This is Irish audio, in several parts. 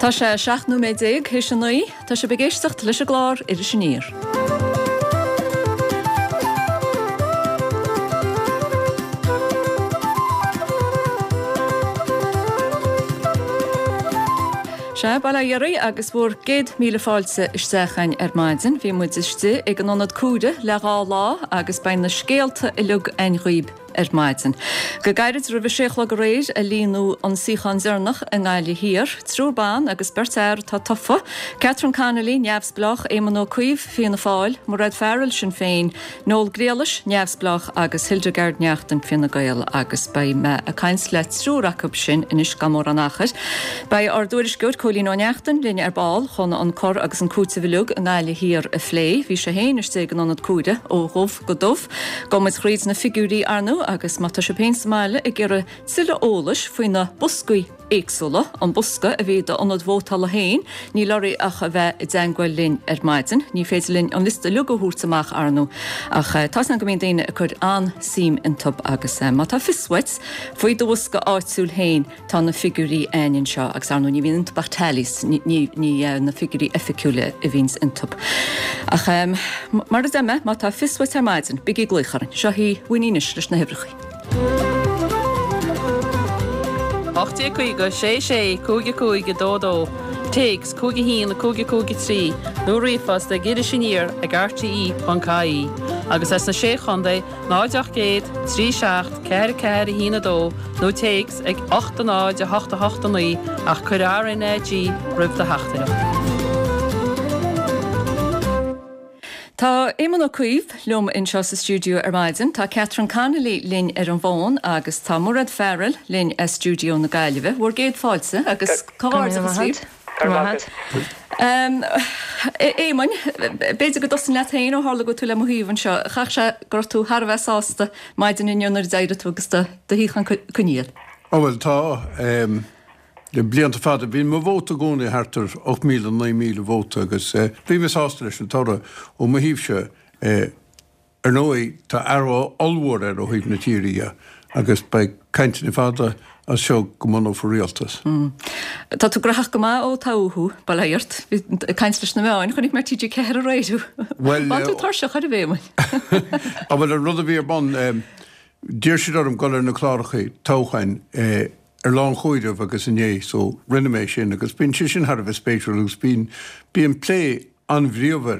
Tá sé 17 nóiméad théis a 9. Tá sibh ag éisteacht leis an gclár Iris Aniar. Sea, bail ó Dhia oraibh agus bhur gcéad míle fáilte isteach againn ar maidin. Bhí muid istigh ag an Ionad Comhairimh le dhá lá agus beidh na scéalta uilig againn dhaoib ar maidin. Go gairid roimh a sé a chlog aréir a líonadh an suíochán deireanach i nGaillimh Thiar. Triúr ban agus beirt fhear atá tofa, Catherine Connolly, Neamhspleách, Éamon Ó Cuív, Fianna Fáil, Mairéad Farrell, Sinn Féin, Noel Griallais, Neamhspleách, agus Hildegarde Naughton, Fine Gael, agus beidh mé ag caint le triúr acu sin anois gan mórán achair. Beidh ár dtuairisceoir Cóilín Ó Neachtain linn ar ball chun an cur agus an cúiteamh uilig i nGaillimh Thiar a phlé. Bhí sé féin istigh ag an ionad comhairimh ó dhubh go dubh. Gabhfaidh muid thríd na figiúirí ar ndóigh agus má tá sibh féin sa mbaile ag iarraidh tuilleadh eolais faoi na boscaí éagsúla, an bosca a bhí i d'ionad vótála féin, níl oraibh ach a bheith i dteangmháil linn ar maidin. Ní féidir linn an liosta uilig a thabhairt amach ar ndóigh ach tá's agam go mbíonn daoine ag cur an-suim iontub agus má tá fios uait faoi do bhosca áitiúil féin, Tá na figiúirí a'ainn anseo agus ar ndóigh ní bhíonn iontub ach tallies, ní na figiúirí oifigiúla a bhíonns iontub. Ach mar a deir mé, má tá fios uait ar maidin, bígí ag glaoch orainn. Seo í Winnie anois leis na huimhreacha. 1850 6 6 5 5 2 2, Téacs 5 1 5 5 3 nó ríomhphost ag irisaniar ag rte.ie agus as na Sé Chontae 0 800 3 7 4 4 1 2 nó téacs ag 8 0 8 8 9 ach cuir RnaG roimh do theachtaireacht. Tá Éamon Ó Cuív liom anseo sa stiúideo ar maidin, tá Catherine Connolly linn ar an bhfón agus tá Mairéad Farrell linn as stiúideo na Gaillimhe. Bhur gcéad fáilte agus comhghairdeachas libh. Go raibh maith agat. Éamoin, b'fhéidir go dtosóinn leat féin ó tharla go bhfuil tú le mo thaobh anseo. Chaithfeadh sé go raibh tú thar a bheith sásta maidin inniu nuair a d'éirigh tú agus do shuíochán coinnithe. Á bhuel, tá. Le blianta fada, bhí mo vóta i gcónaí thart ar 8,000, 9,000 vóta agus bhí mé sásta leis an toradh ó mo thaobhse. Ar ndóigh, tá athrú ollmhór air ó thaobh na tíre dhe agus beidh cainteanna fada as seo go mbunófar rialtas. Tá tú graitheach go maith ó toghadh thú, bail ó Dhia ort. Bhí ag caint leis na meáin, chonaic mé ar TG4 aréir thú. Bhuel. Bhain tú tuirseach ar a Éamoin. Á bhuel, an rud a bhí ar bun, d'iarr siad orm dul ar na cláracha toghcháin ar lá an chomhairimh agus inné so rinne mé sin agus bíonn sé sin thar a bheith spéisiúil agus bíonn, bíonn plé an-bhríomhar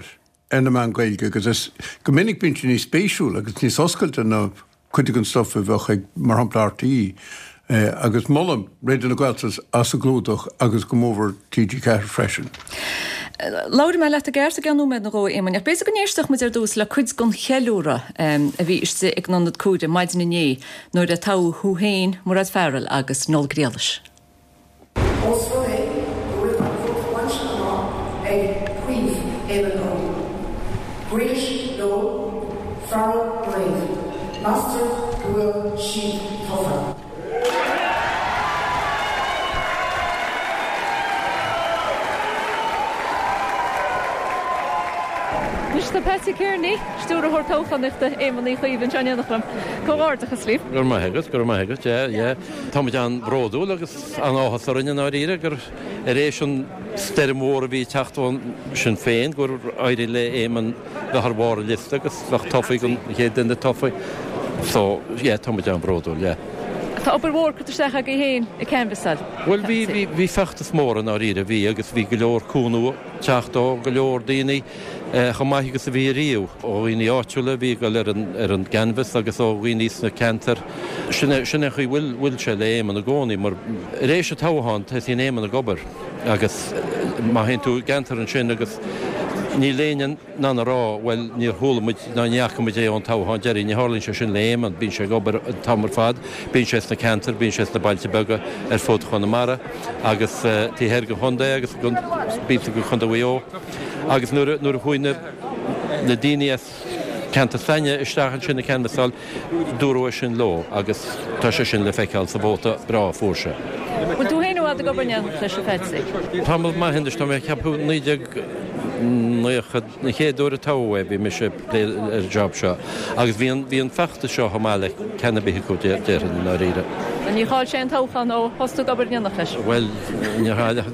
ar na meáin Ghaeilge agus is go minic bíonn sé níos spéisiúla agus níos oscailte ná cuid den stuff a bheadh ag, mar shampla, RTÉ. Agus molaim Raidió na Gaeltachta as a gclúdach agus go mórmhór TG4 freisin. Labhróidh mé leat i gceart i gceann nóiméad nó dhó, a Éamoin, ach b'fhéidir go n-éistfeadh muid ar dtús le cuid den cheiliúradh a bhí istigh ag an Ionad Comhairimh maidin inné nuair a toghadh thú féin, Mairéad Farrell agus Noel Griallais. Ós rud é go bhfuil an vóta bainte amach ag Cuív Éamon Ó Griallais Noel Farrell Mairéad, meastar go bhfuil siad tofa. Anois tá Patsy Kearney, Stiúrthóir Toghchánaíochta Éamon Uí Chuív anseo in éineacht liom. Comhghairdeachas libh. Go raibh maith agat, go raibh maith agat, yeah, yeah. Tá muid an-bhródúil agus an-áthas orainn i ndáiríre gur ar éis an stoirm mhór a bhí ag teacht ó Sinn Féin gur éirigh le Éamon bheith ar bharr an liosta agus bheith tofa an chéad duine tofa. So, yeah, tá muid an-bhródúil, yeah. Tá obair mhór curtha isteach agaibh féin ag canbhasáil. Bhuel, bhí, bhí, bhí feachtas mór i ndáiríre, bhí, agus bhí go leor cúnamh ag teacht ó go leor daoine. chomh maith agus a bhí ariamh, ó dhaoine áitiúla a bhí ag dul ar an ar an gcanbhas agus ó dhaoine sna ceantair. Sin é sin é an chaoi bhfuil bhfuil sé le Éamon i gcónaí mar ar éis an toghcháin tosaíonn Éamon ag obair agus má théann tú i gceantar ansin agus níl éinne in ann a rá bhuel níor chuala muid ná ní fhaca muid é ón toghchán deiridh. Ní tharlaíonn sé sin le Éamon, bíonn sé ag obair an t-am ar fad, bíonn sé sna ceantair, bíonn sé sna bailte beaga ar fud Chonamara agus taobh thoir den chontae agus píosa de Chontae Mhaigh Eo. Agus nuair a chuaigh na daoine as ceantar s'againne isteach ansin ag canbhasáil, dúradh é sin leo agus tá sé sin le feiceáil sa vóta breá a fuair sé. Bhfuil tú féin i bhfad ag obair in éineacht leis, a Phatsy? Tamall maith anois, tá mé ag ceapadh 19. 90, an chéad uair a toghadh é bhí mise ag plé ar an job seo agus bhí an, bhí an feachtas seo chomh maith le ceann ar bith acu déarfainn i ndáiríre. Níor chaill sé an toghchán ó thosaigh tú ag obair in éineacht leis? Bhuel, níor chaill ach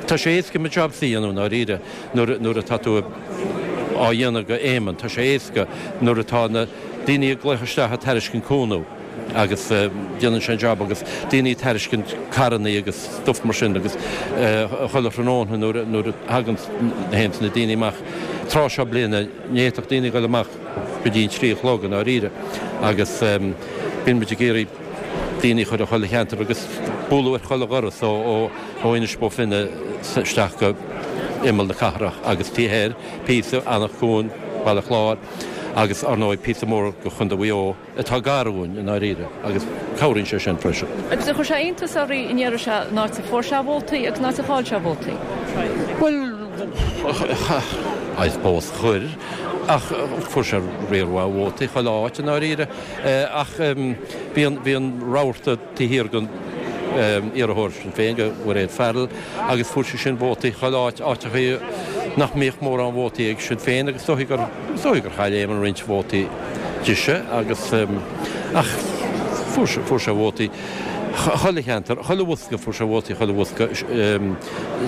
tá sé éasca mo jobsa a dhéanamh i ndáiríre nuair, nuair atá tú á dhéanamh go Éamonn, tá sé éasca nuair atá na daoine ag glaoch isteach ag tairiscint cúnamh. agus déanann sé an jab agus daoine ag tairiscint carrannaí agus stuff mar sin agus chuile thráthnóna nuair nuair a thagann théanns na daoine amach tráth seo bliana ní fhéadfadh daoine dhul amach go dtí an 3 a chlog i ndáiríre agus bíonn muid ag iarraidh daoine a chur i chuile cheantar agus bualadh ar chuile dhoras ó ó ó Inis Bó Finne isteach go imeall na cathrach agus taobh thoir píosa Anach Cuain, Baile Chláir agus ar ndóigh píosa mór go Chontae Mhaigh Eo. atá gar dhúinn i ndáiríre agus cabhraíonn sé sin freisin. Agus ar chuir sé iontas oraibh an iarraidh seo an áit a fuair sé vótaí agus an áit a chaill sé vótaí? Bhuel, I suppose chuir, ach fuair sé riar mhaith vótaí chuile áit i ndáiríre. Ach bhí an, bhí an rabharta taobh thiar den iarrthóir Sinn Féin, de Mhairéad Farrell, agus fuair sí sin vótaí chuile áit, áiteachaí nach mbíodh mórán vótaí ag Sinn Féin agus is dóichí gur, is dóichí gur chaill Éamon roinnt vótaí dise agus, ach fuair sé, fuair sé vótaí chuile cheantar, chuile bhosca, fuair sé vótaí chuile bhosca,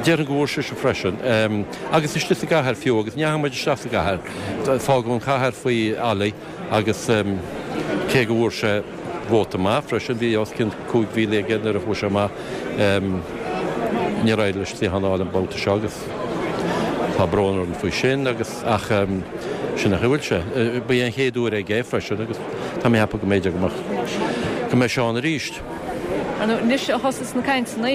déarfainn go bhfuair sise freisin agus istigh sa gcathair fiú agus ní dheachaigh muid isteach sa gcathair, fágadh an chathair faoi Ollie agus cé go bhfuair sé vóta maith freisin, bhí os cionn 5,000 aige nuair a chuaigh sé amach, níor éirigh leis suíochán a fháil an babhta seo agus tá brón orainn faoi sin agus ach sin an chaoi a bhfuil sé. Ba é an chéad uair aige é freisin agus tá mé ag ceapadh go mb'fhéidir go mbeadh, go mbeidh sé ann arís. Ar ndóigh, anois a thosas na cainteanna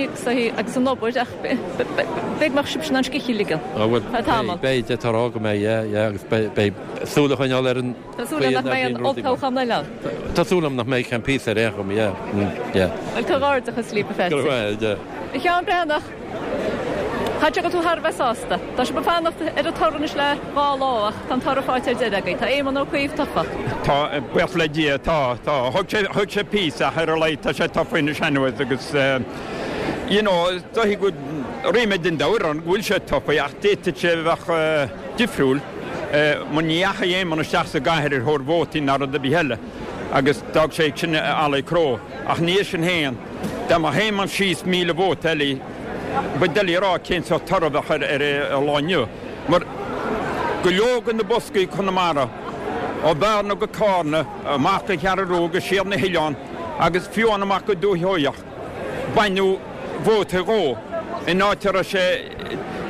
agus an obair ach b'fhéidir go mbeadh sibhse in ann scíth a ligean. Á bhuel, beidh, beidh, d'fhéadfá a rá go mbeidh, yeah, yeah agus beidh, beidh súil a choinneáil ar an. Tá súil agam nach mbeidh an olltoghchán eile ann. Tá súil agam nach mbeidh ceann píosa ar aon chuma, yeah, yeah. Bhuel, comhghairdeachas libh, a Pheaitsí. Go raibh maith agat, yeah. A Sheáin Breathnach, caithfidh sé go bhfuil tú thar a bheith sásta. Tá sibh ag fanacht ar an toradh anois le dhá lá ach tá an toradh faighte ar deireadh agaibh. Tá Éamon Ó Cuív tofa. Tá, buíochas le Dia, tá, tá. Thóg sé, thóg sé píosa ach ar a laghad tá sé tofa anois anyways agus you know, is dóichí go bhfuil ríméad an domhain orainn go bhfuil sé tofa ach d'fhéadfadh sé a bheith difriúil. Mar ní dheachaigh Éamon isteach sa gcathair ar thóir vótaí ná rud ar bith eile agus d'fhág sé sin ag Ollie Crowe. Ach ina dhiaidh sin féin, dá mbeadh Éamon síos 1,000 vóta eile, ba doiligh a rá cén sórt toradh a bheadh ar an lá inniu. Mar go leor de na boscaí i Conamara, ó Bhearna go Cárna, amach go Cheathrú Rua agus siar na hoileáin agus fiú amháin amach go Dúiche Sheoigheach, baineadh vóta dhó in áit a raibh sé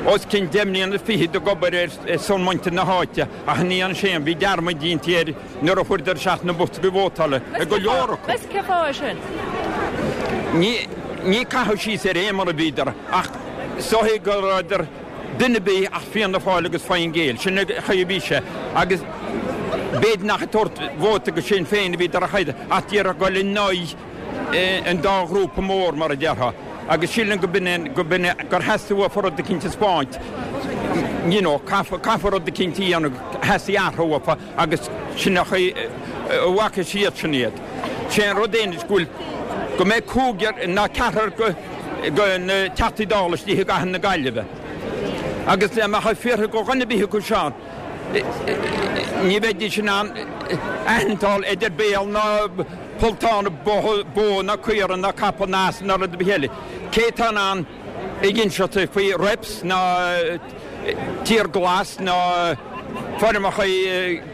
os cionn deich mbliana fichead ag obair ar son muintir na háite ach ní dhearna sé aon, bhí dearmad déanta air nuair a chuireadar isteach na boscaí vótála i go leor acu. Meas tú cén fáth é sin? Ní, ní caitheamh síos ar Éamon a bhíodar ach is dóichí go rabhadar duine ar bith ach Fianna Fáil agus Fine Gael, sin an chaoi a bhí sé agus b'fhéidir nach ag tabhairt vóta go Sinn Féin a bhíodar a chaitheamh ach d'iarraidh dul in aghaidh an dá ghrúpa mór, mar a déarfá, agus sílim go b'in é, go b'in é, gur theastaigh uafa rud eicínt a 'spáint, you know, caithfear, caithfear rud eicínt a dhéanamh, theastaigh athrú uafa agus sin an chaoi a bhfaca siadsan iad. Sé an rud é anois go bhfuil, go mbeidh cúigear ná ceathrar go, go na Teachtaí Dála istigh i gcathair na Gaillimhe agus dá mbeadh fiafraí go dhuine ar bith acu seo, ní bheidís in ann aithneachtáil idir béal ná polltán bó ná caora ná capall ná asal ná rud ar bith eile. Cé atá in ann ag inseacht faoi reps ná Tír Glas ná foirmeacha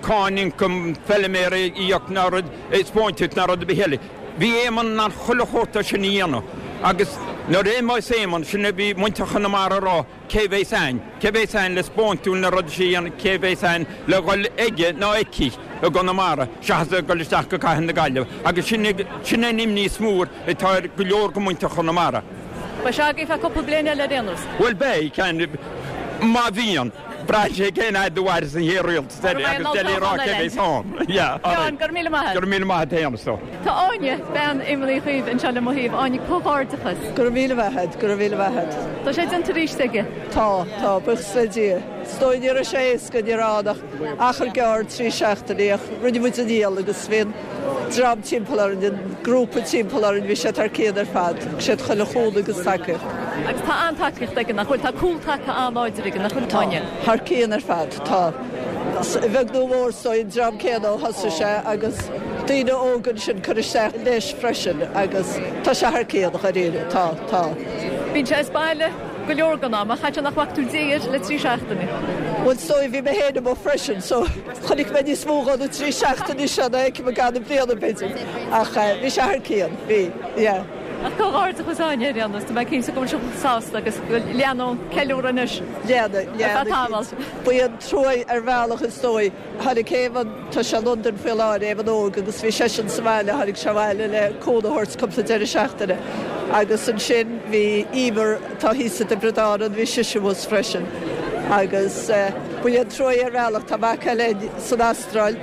cáin ioncaim feiliméara a íoc ná rud spóinteacht ná rud ar bith eile. Bhí Éamonn in ann chuile shórt de sin a dhéanamh agus nuair a imeos Éamonn, sin a bhí muintir Chonamara a rá, Cé bheas ann? Cé bheas ann le spóint dúinn na rudaí sin a dhéanamh? Cé bheas ann le dhul aige nó aici i gConamara seachas a dhul isteach go Cathair na Gaillimhe? Agus sin sin an imní is mór atá ar go leor de mhuintir Chonamara. Beidh sé agaibh feadh cúpla bliain eile ar aon nós. Bhuel beidh, ceann, má bhíonn. Braitheann sé cén fhad a mhairfeas an chéad rialtas eile agus doiligh a rá cé bheas ann. Yeah, all right. Seán, go raibh míle maith agat. Go raibh míle maith agat féin, a stór. Tá Áine, bean Éamoin Uí Chuív, anseo le mo thaobh. Áine, comhghairdeachas. Go raibh míle maith agat, go raibh míle maith agat. Tá sé déanta arís aige. Tá, tá, buíochas le Dia. Is dóigh ní raibh sé éasca, ní raibh ann ach achar gearr, 3 seachtainí, ach rinne muid an iall agus bhí an dream timpeall orainn, an grúpa timpeall orainn, bhí siad thar cionn ar fad. Thug siad chuile chúnamh agus tacaíocht. Agus tá an-tacaíocht aige, nach bhfuil? Tá cúltaca an-láidir aige, nach bhfuil, Tá, thar cionn ar fad, tá. A bheag nó a mhór, is dóigh, an dream céanna ó thosaigh sé agus daoine óga ansin ag cur isteach leis freisin agus tá sé thar cionn, dháiríre, tá, tá. Bíonn sé as baile go leor den am, ach caithfidh sé nach bhfaca tú dé air le trí seachtaine. Bhuel, is dóigh, bhí mé féin amuigh freisin so chonaic mé níos mó dhó na trí seachtaine seo ná a fheicim i gcaitheamh na bliana, b'fhéidir, ach bhí sé thar cionn, bhí, yeah. Ach comhghairdeachas Áine ar aon nós, tá mé cinnte go bhfuil sibh sásta agus go leanfaidh an ceiliúradh anois ar feadh tamaill. Ba é an trua ar bhealach is dóigh. Tháinig Éamonn, tá sé i Londain faoi láthair, Éamonn Óg, agus bhí seisean sa bhaile, tháinig sé abhaile le cúnamh a thabhairt cúpla deireadh seachtaine. Agus ansin bhí Emer, atá thíos i dTiobraid Árann, bhí sise thuas freisin. Agus ba é an trua ar bhealach, tá mac eile san Astráil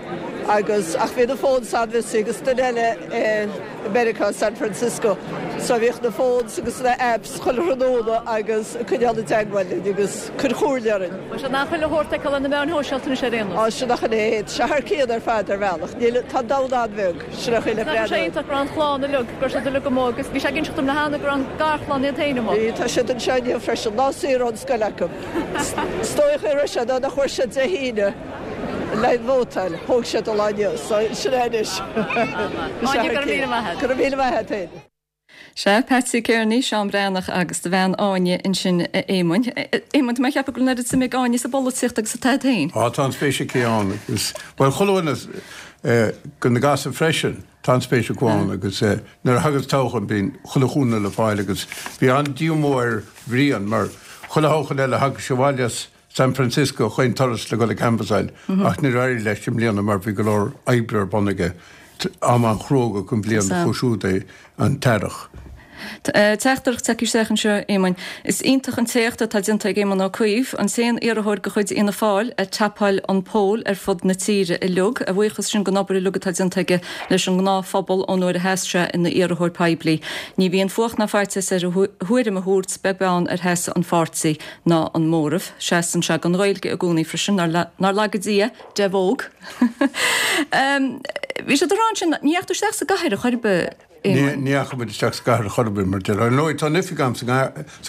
agus, ach bhí na phones an-busy agus duine eile i, i Meiriceá, San Francisco. So bhíodh na phones agus na apps chuile thráthnóna agus ag coinneáil i dteagmháil linn agus cur chomhairle orainn. Bhuel, sin nach chuile shórt a fheiceáil ar na meáin shóisialta anois ar aon nós. Á, sin nach in é. Tá sé thar cionn ar fad ar bhealach. Níl, tá an domhan an-bheag. Sin é an chaoi le breathnú air. Nach raibh sé iontach go raibh an chlann uilig, go raibh siad uilig amuigh agus bhí sé ag inseacht dom le hAnna go raibh an garchlann iad féin amuigh. Bhí, tá siad anseo inniu freisin. Lá saor ón scoil acu. Is dóigh an chaoi a raibh sé ná nach bhfuair siad Dé hAoine. Le vótáil, thóg siad an lá inniu, so sin é anois. Áine, go raibh míle maith agat. Go raibh míle maith agat féin. Sea, Patsy Kearney, Seán Breathnach agus do bhean Áine ansin a Éamoinn. Éamonn, tá mé ag ceapadh go bhfuil an oiread suime ag Áine sa bpolaitíocht agus atá agat féin. Á, tá an-spéis aici ann agus, bhuel, chuile dhuine de na gasúir freisin, tá an-spéis acu ann agus nuair a thagas toghchán bíonn chuile chúnamh le fáil agus bhí an-díomá ar Bhrian mar chuile thoghchán eile thagadh sé abhaile as San Francisco chaon turas le dul ag canbhasáil ach níor éirigh leis i mbliana mar bhí go leor oibre ar bun aige. Am an-chruógach an bhliain acu siúd é an t-earrach. Teachtaireacht tagtha isteach anseo, Éamoinn. Is iontach an t-éacht atá déanta ag Éamon Ó Cuív, an t-aon iarrthóir de chuid Fhianna Fáil ag tapáil an poll ar fud na tíre uilig. A bhuíochas sin don obair uilig atá déanta aige leis an ngnáthphobal ón uair a sheas sé ina iarrthóir poiblí. Ní bhíonn fuacht ná faitíos air a thuairim a thabhairt, beag beann ar sheasamh an pháirtí. ná an móramh. Seasann sé don Ghaeilge i gcónaí freisin, nár laga Dia de bhóg. Bhí siad ag rá ansin, ní dheachaigh tú isteach sa gcathair ar chor ar bith, Éamoinn? Ní dheachaigh muid isteach sa gcathair ar chor ar bith, mar deir. Ar ndóigh, tá an oifig agam sa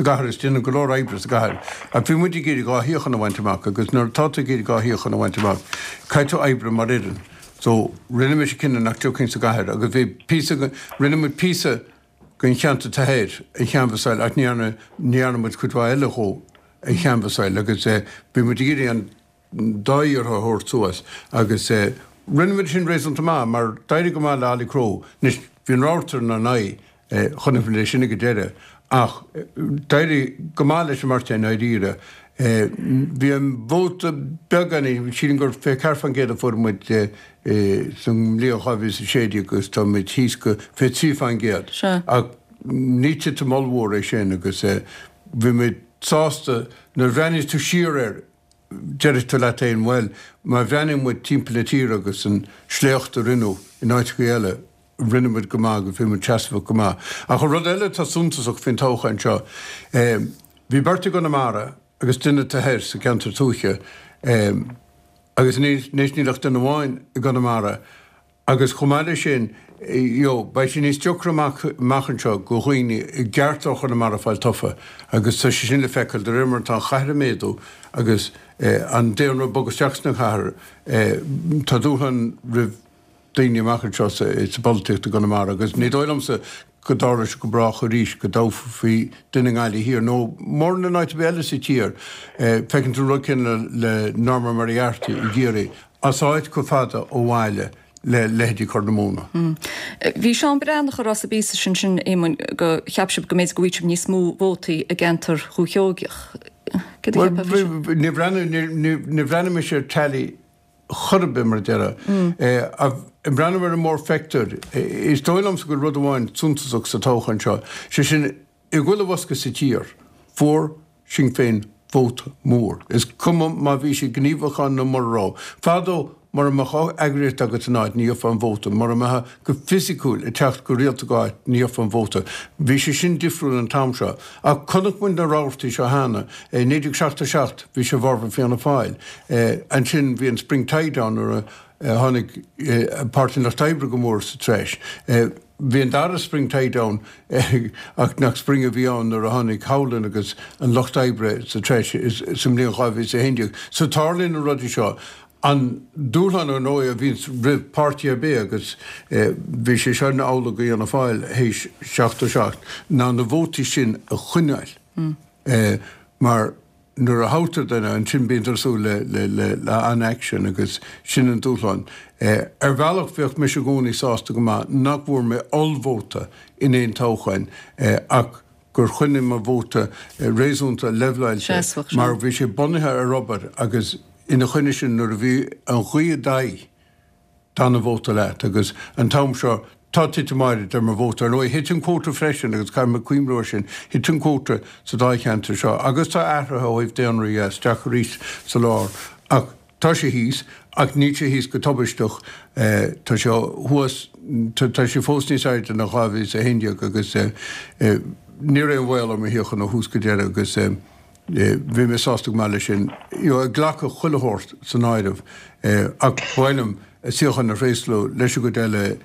gcathair is déanaim go leor oibre sa gcathair. Ach bhí muid ag iarraidh dhá shuíochán a bhaint amach agus nuair atá tú ag iarraidh dhá shuíochán a bhaint amach, caithfidh tú oibriú mar fhoireann. So, rinne mise cinneadh nach dtiocfainn sa gcathair agus bhí píosa, rinne muid píosa, den cheantar thoir a chanbhasáil ach ní dhearna, ní dhearna muid cuid mhaith eile dhó a chanbhasáil agus bhí muid ag iarraidh an dá iarrthóir a thabhairt suas agus rinne muid sin réasúnta maith mar d'éirigh go maith le Ollie Crowe. Anois bhí an rabharta inár n-aghaidh, chonaic muid é sin ag an deireadh ach d'éirigh go maith leis an mbeirt i ndáiríre. Bhí an vóta beagáinín, sílim gur 24% a fuair muid sa mbliain 2016 agus tá muid thíos go 23%. Ach ní titim ollmhór é sin agus bhí muid sásta nuair a bhreathnaíos tú siar air déarfaidh tú leat féin bhuel má bhreathnaíonn muid timpeall na tíre agus an sléacht a rinneadh in áiteacha eile rinne muid go maith agus bhí muid seasmhach go maith. Ach an rud eile atá suntasach faoin toghchán seo, bhí beirt i gConamara agus duine taobh thoir sa gceantar tuaithe agus anois níl ach duine amháin i gConamara agus chomh maith leis sin you know beidh sé níos deacra amach amach anseo go dhaoine i gceart ó Chonamara fáil tofa agus tá sé sin le feiceáil de réir mar atá an chathair ag méadú agus an daonra ag bogadh isteach sna cathair tá dúshlán roimh daoine amach anseo sa bpolaitíocht i gConamara agus ní dóigh liomsa go dtarlóidh sé go brách arís go dtoghfaí duine i nGaillimh Thiar nó mórán in áit ar bith eile sa tír. Feiceann tú an rud céanna le Norma Moriarty i gCiarraí, as áit chomh fada ó bhaile le leithéidí Chorr na Móna. Bhí Seán Breathnach ag rá sa bpíosa sin sin, Éamoinn, go cheap sibh go mb'fhéidir go bhfaigheadh sibh níos mó vótaí i gceantar Dhúiche Sheoigeach. Céard a cheapfá faoi sin? Níor bhreathnaigh mise ar tally chor ar bith, mar a déarfá. Ag breathnú ar an mórphictiúr, is dóigh liomsa go bhfuil rud amháin suntasach sa toghchán seo, sé sin, i gchuile bhosca sa tír, fuair Sinn Féin vóta mór. Is cuma má bhí siad gníomhach ann nó mura raibh. Fadó, mura mbeadh eagraíocht agat in áit, ní gheofá an vóta. Mura mbeifeá go fisiciúil ag teacht go rialta go áit, ní gheofá an vóta. Bhí sé sin difriúil an t-am seo. Ach chonaic muid na rabhartaí seo cheana. I 1977, bhí sé i bhfabhar Fianna Fáil. Ansin bhí an Spring Tide ann nuair a tháinig Páirtí an Lucht Oibre go mór sa treis. Bhí an dara Spring Tide ann ach nach spring a bhí ann nuair a tháinig Howlin agus an Lucht Oibre sa treis sa mbliain 2011. So tarlaíonn na rudaí seo. An dúshlán ar ndóigh a bhíonns roimh páirtí ar bith agus bhí sé seo amhlaidh do Fhianna Fáil théis 77 ná na vótaí sin a choinneáil mar Nuair a thoghtar duine, ansin bíonn ag súil le an-aicsean agus sin an dúshlán. Ar bhealach bheadh mise i gcónaí sásta go maith nach bhfuair mé ollvóta in aon toghchán ach gur choinnigh mo vóta réasúnta leibhleáilte mar bhí sé bunaithe ar obair agus ina choinne sin nuair a bhí an ghaoth i d'aghaidh, D'fhan an vóta leat agus an t-am seo tá titim áirid ar mo vóta. Ar ndóigh, thit an cuóta freisin agus caithfidh mé cuimhniú air sin, thit an cuóta sa dáilcheantar seo agus tá athruithe ó thaobh daonra dhe isteach arís sa lár ach tá sé thíos ach níl sé thíos go tubaisteach, tá sé thuas, tá sé fós níos airde ná 2011 agus ní raibh aon bhaol ar mo shuíochán ó thús go deireadh agus. Bhí mé sásta go maith leis sin, you know, ag glacadh chuile shórt san áireamh. Ach ba mhaith liom suíochán a thréaslú leis an gcuid eile,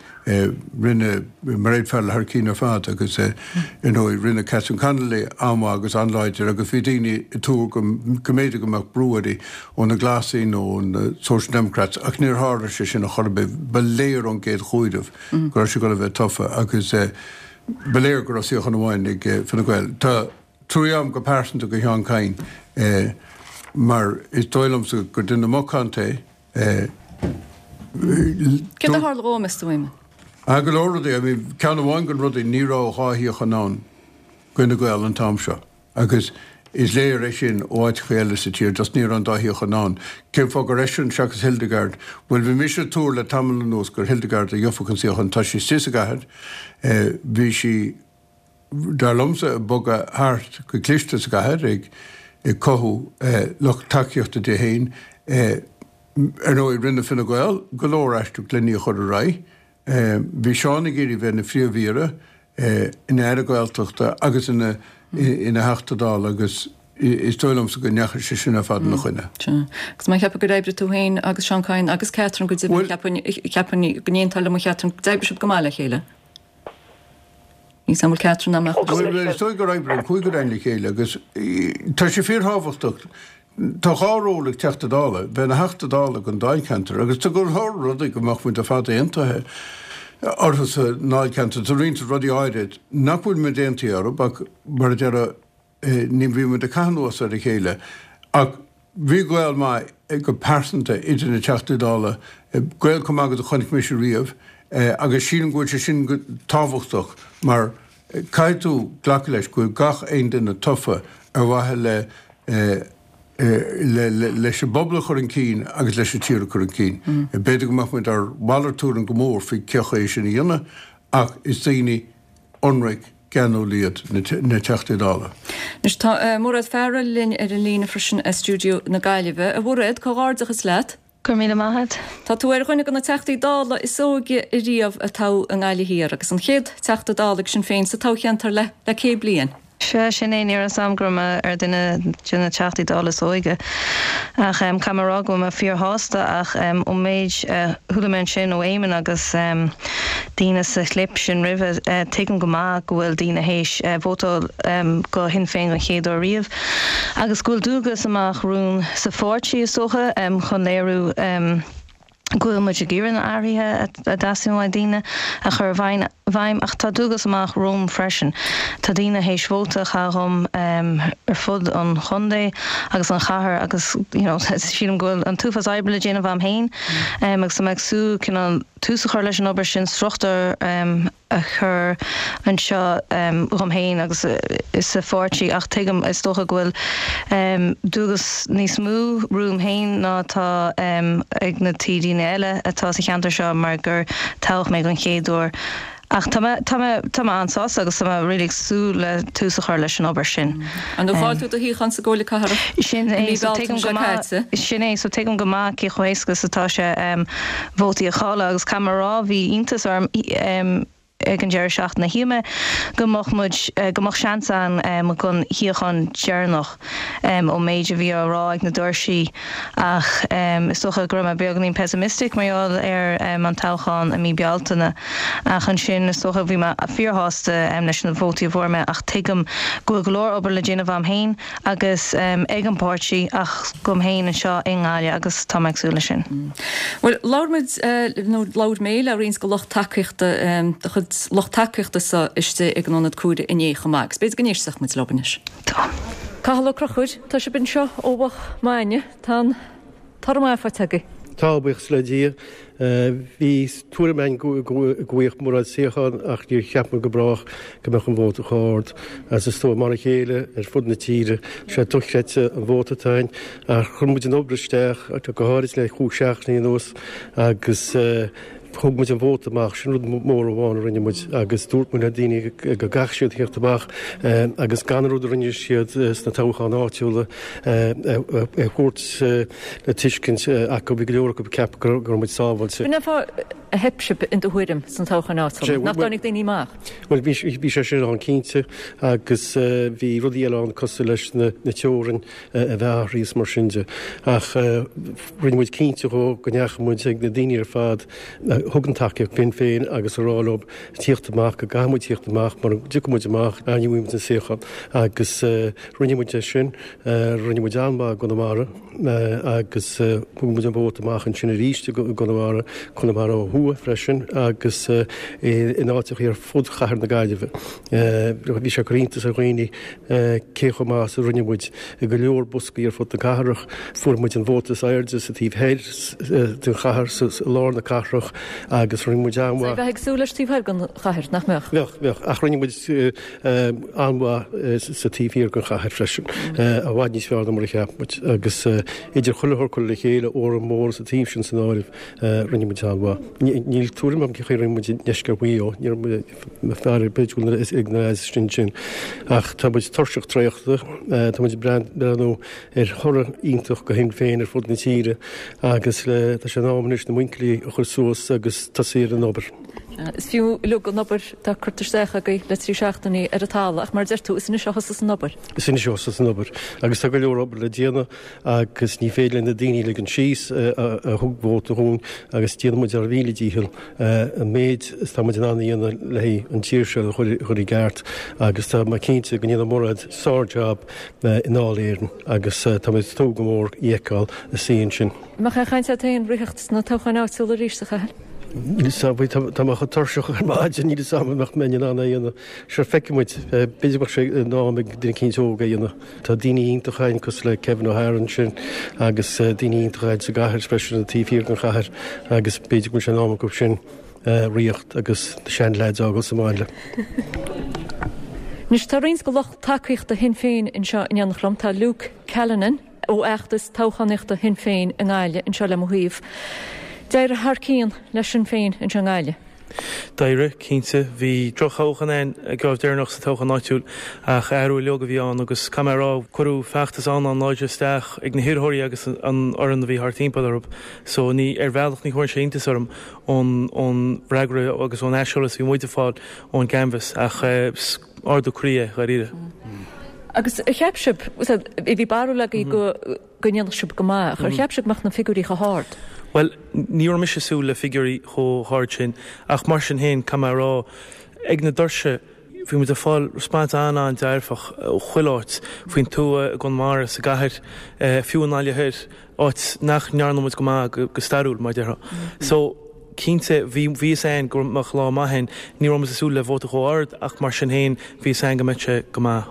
rinne Mairéad Farrell thar cinn ar fad agus ar ndóigh rinne Catherine Connolly an-mhaith agus an-láidir agus bhí daoine ag tuar go mb'fhéidir go mbeadh brú uirthi ó na Glasaigh nó ó na Social Democrats ach níor tharla sé sin ar chor ar bith. Ba léir ón gcéad chomhaireamh go raibh sí ag dul a bheith tofa agus ba léir go raibh suíochán amháin ag Fine Gael. Tá. Trua agam go pearsanta do Sheán Kyne mar is dóigh liomsa gur duine macánta é. Céard a tharla dhó, meas tú, Éamonn? Ah, go leor rudaí. I mean, ceann amháin de na rudaí, ní raibh 2 shuíochán ann do Fhine Gael an t-am seo agus is léir é sin ó áiteacha eile sa tír, just ní raibh an dá shuíochán ann. Cén fáth gur eisean seachas Hildegarde? Bhuel, bhí mise ag tuar le tamall anuas gur Hildegarde a gheobhadh an suíochán. Tá sí istigh sa gcathair, bhí sí. dar liomsa, ag bogadh thart go cliste sa gcathair, ag cothú lucht tacaíochta di féin. Ar ndóigh, rinne Fine Gael go leor aisteach len í a chur ar aghaidh. Bhí Seán ag iarraidh bheith ina Phríomh-Aoire, ina Aire Gaeltachta agus ina Theachta Dála agus is dóigh liomsa go ndeachaigh sé sin ar fad ina choinne. Sea. Agus mé ag ceapadh gur oibrigh tú féin agus Seán Kyne agus Catherine go deimhin, cheapfainn go n-aontófá liom a Chatherine, d'oibrigh sibh go maith le chéile. Níl 's a'm an bhfuil Catherine ná Bhuel, is dóigh gur oibrigh an cúigear againn le chéile agus tá sé fíorthábhachtach. Tá dhá ról ag Teachta Dála, bheith ina Theachta Dála don Dáilcheantar agus tá go leor rudaí go mbeadh muid ar fad aontaithe orthu sa nDáilcheantar. Tá roinnt rudaí áirid nach bhfuil muid aontaithe orthu ach mar a déarfá, Ní bhíonn muid ag caitheamh anuas ar a chéile ach bhí gaol maith go pearsanta idir na Teachtaí Dála, gaol chomh maith agus a chonaic mise riamh agus sílim go bhfuil sé sin tábhachtach mar caithfidh tú glacadh leis go bhfuil gach aon duine tofa ar mhaithe le leis an bpobal a chur chun cinn agus leis an tír a chur chun cinn. B'fhéidir go mbeadh muid ar mhalairt tuairim go mór faoi cé chaoi é sin a dhéanamh ach is daoine ionraic, geanúil iad na Teachtaí Dála. Anois tá Mairéad Farrell linn ar an líne freisin as stiúideo na Gaillimhe. A Mhairéad, comhghairdeachas leat. Go raibh míle maith agat. Tá tú ar dhuine de na Teachtaí Dála is óige ariamh a toghadh i nGaillimh Thiar agus an chéad Teachta Dála ag Sinn Féin sa toghcheantar le le 100 bliain. Sea, sin é, ní raibh 'fhios a'm go raibh mé ar duine de na Teachtaí Dála is óige. Ach caithfidh mé a rá go bhfuil mé fíorshásta ach ón méid a chuala mé ansin ó Éamonn agus daoine sa chlip sin roimhe, tuigim go maith go bhfuil daoine théis vótáil go Shinn Féin don chéad uair riamh agus go bhfuil dualgas amach romhainn sa pháirtí, is dócha, chun léiriú go bhfuil muid ag iarraidh na athruithe a dteastaíonn uaidh daoine a chur i bhfeidhm ach tá dualgas amach romham freisin. Tá daoine théis vóta a chaitheamh dhom ar fud an chontae agus an chathair agus you know sílim go bhfuil an t-uafás oibre le déanamh a'm féin agus tá mé ag súil cineál tús a chur leis an obair sin, struchtúr a chur anseo dhom féin agus sa pháirtí ach tuigim, is dócha, go bhfuil dualgas níos mó romham féin ná atá ag na TDanna eile atá sa cheantar seo mar gur toghadh mé don chéad uair. Ach tá mé, tá mé, tá mé an-sásta agus tá mé really ag súil le tús a chur leis an obair sin. Ar ndóigh chaill tú do shuíochán sa gComhairle Cathrach Sin i é, mí so Bealtaine tuigim go seo maith, caite. sin é, so tuigim go maith cé chomh héasca is atá sé vótaí a chailleadh agus caithfidh mé a rá bhí iontas orm. Ag an deireadh seachtaine, shíl mé go mbeadh muid, go mbeadh seans ann don shuíochán deireanach ón méid a bhí á rá ag na doirsí ach is dócha go raibh mé beagáinín pessimistic mar gheall ar an toghchán i mí Bealtaine. Ach ansin is dócha bhí mé fíorshásta leis na vótaí a fuair mé ach tuigim go bhfuil go leor obair le déanamh a'm féin agus ag an bpáirtí ach agam féin anseo i nGaillimh agus tá mé ag súil leis sin. Bhuel, labhair muid, nó labhair mé le roinnt de lucht tacaíochta, do chuid lucht tacaíochta sa istigh ag an Ionad Cuaire inné chomh maith agus b'fhéidir go n-éistfeadh muid leo anois. Tá. Cathal Ó Conchúir, tá sibh anseo ó mhoch maidne, tá an toradh maith faighte agaibh. Tá, buíochas le Dia. Bhí tuairim againn go bhfaigheadh Mairéad suíochán ach níor cheap muid go brách go mbeadh an vóta chomh hard. Agus is dóigh mar a chéile ar fud na tíre, tá sé dochreidte an vóta atá againn ach chuir muid an obair isteach, go háirid le cúig seachtainí anuas agus thug muid an vóta amach, sin rud mór amháin a rinne muid agus dúirt muid le daoine go gcaithfidh siad theacht amach agus gan an rud a rinne siad sna toghcháin áitiúla a thabhairt le tuiscint acu, bhí go leor acu ag ceapadh go raibh muid sábháilte. B'in é an fáth a theip sibh in do thuairim sna toghcháin áitiúla, nach dtáinig daoine amach? Bhuel, bhí sé sin ann cinnte agus bhí rudaí eile ann cosúil leis na teorainn a bheith athraithe is mar sin de. Ach rinne muid cinnte dhó go ndeachaigh muid ag na daoine ar fad a thug an tacaíocht Shinn Féin agus a rá leo tíocht amach, go gcaithfidh muid tíocht amach, mura dtiocfaidh muid amach, ní bhfaighidh muid an suíochán. Agus rinne muid é sin. Rinne muid an-mhaith i gConamara agus thug muid an vóta amach ansin arís i gConamara, Conamara ó thuaidh freisin agus in áiteachaí ar fud chathair na Gaillimhe. Bhí sé ag cur iontas ar dhaoine cé chomh maith is a rinne muid i go leor boscaí ar fud na cathrach. Fuair muid an vóta is airde sa taobh thoir den chathair, i lár na cathrach agus rinne muid an-mhaith. Bheifeá ag súil leis taobh thoir den chathair, nach mbeadh? Bheadh, bheadh. Ach rinne muid an-mhaith sa taobh thiar den chathair freisin, i bhfad níos fearr ná mar a cheap muid agus idir chuile shórt curtha le chéile, Órán Mór sa taobh sin san áireamh, rinne muid an-mhaith. Níl tuairim agam cén chaoi a rinne muid i ndeisceart Mhaigh Eo, ní raibh mé faire, b'fhéidir go bhfuil ag na lads sin ansin. Ach tá muid tuirseach traochta, tá muid ag breathnú ar thoradh iontach do Shinn Féin ar fud na tíre agus tá sé in am anois na muinchillí a chur suas agus tosaí ar an obair. Is fiú uilig an obair atá curtha isteach agaibh le 3 seachtainí ar an talamh ach mar a deir tú, is anois a thosas an obair. Is anois a thosas an obair agus tá go leor obair le déanamh agus ní féidir le na daoine a ligean síos a thug vóta dhúinn agus déanfaidh muid ár mhíle dícheall an méid is atá muid in ann a dhéanamh le haghaidh an tír seo a chur i gceart agus tá mé cinnte go ndéanfaidh Mairéad sár-jab i nDáil Éireann agus tá mé ag tnúth go mór í a fheiceáil ina suí ansin. Mbeadh aon chaint agat féin ritheacht sna toghcháin áitiúla arís, a Chathail? Níl 'fhios a'm, tá mé chomh tuirseach ar maidin, níl 'fhios a'm an mbeadh mé in ann é a dhéanamh. Sure, feicfidh muid. B'fhéidir go mbeadh sé in am ag duine eicínt óg é a dhéanamh. Tá daoine iontacha againn cosúil le Kevin O'Hara ansin agus daoine iontacha againn sa gcathair freisin, an taobh thiar den chathair agus b'fhéidir go bhfuil sé in am acu sin ritheacht agus na sean-leaids a fhágáil sa mbaile. Anois tá roinnt de lucht tacaíochta Shinn Féin anseo in éineacht liom. Tá Luke Callinan. ó fheachtas toghchánaíochta Shinn Féin i nGaillimh anseo le mo thaobh. D'éirigh thar cionn le Sinn Féin anseo i nGaillimh. D'éirigh, cinnte. Bhí droch-thoghchán againn an geábh deireanach sa toghchán áitiúil ach athrú uilig a bhí ann agus caithfidh mé a rá, cuireadh feachtas an-an-láidir isteach ag na hiarrthóirí agus an fhoireann a bhí thart timpeall orthu. So ní, ar bhealach ní chuireann sé iontas orm ón, ón bhfreagra agus ón aiseolas a bhí muid ag fáil ón gcanbhas ach is ardú croí é, dháiríre. Agus ar cheap sibh, bhí barúil agaibh go go ndéanfadh sibh go maith, ach ar cheap sibh go mbeadh na figiúirí chomh hard? Bhuel, ní raibh mise ag súil le figiúirí chomh hard sin, ach mar sin féin, caithfidh mé a rá, ag na doirse, bhí muid ag fáil response an-an-dearfach ó chuile áit, faoin tuath, i gConamara, sa gcathair, fiú i nGaillimh Thoir. áit nach ndearna muid go maith go stairiúil, mar a déarfá. So, cinnte, bhí, bhí fhios a'inn go mbeadh lá maith a'inn. Ní raibh muid ag súil le vóta chomh ard ach mar sin féin, bhí fhios a'inn go mbeadh sé go maith.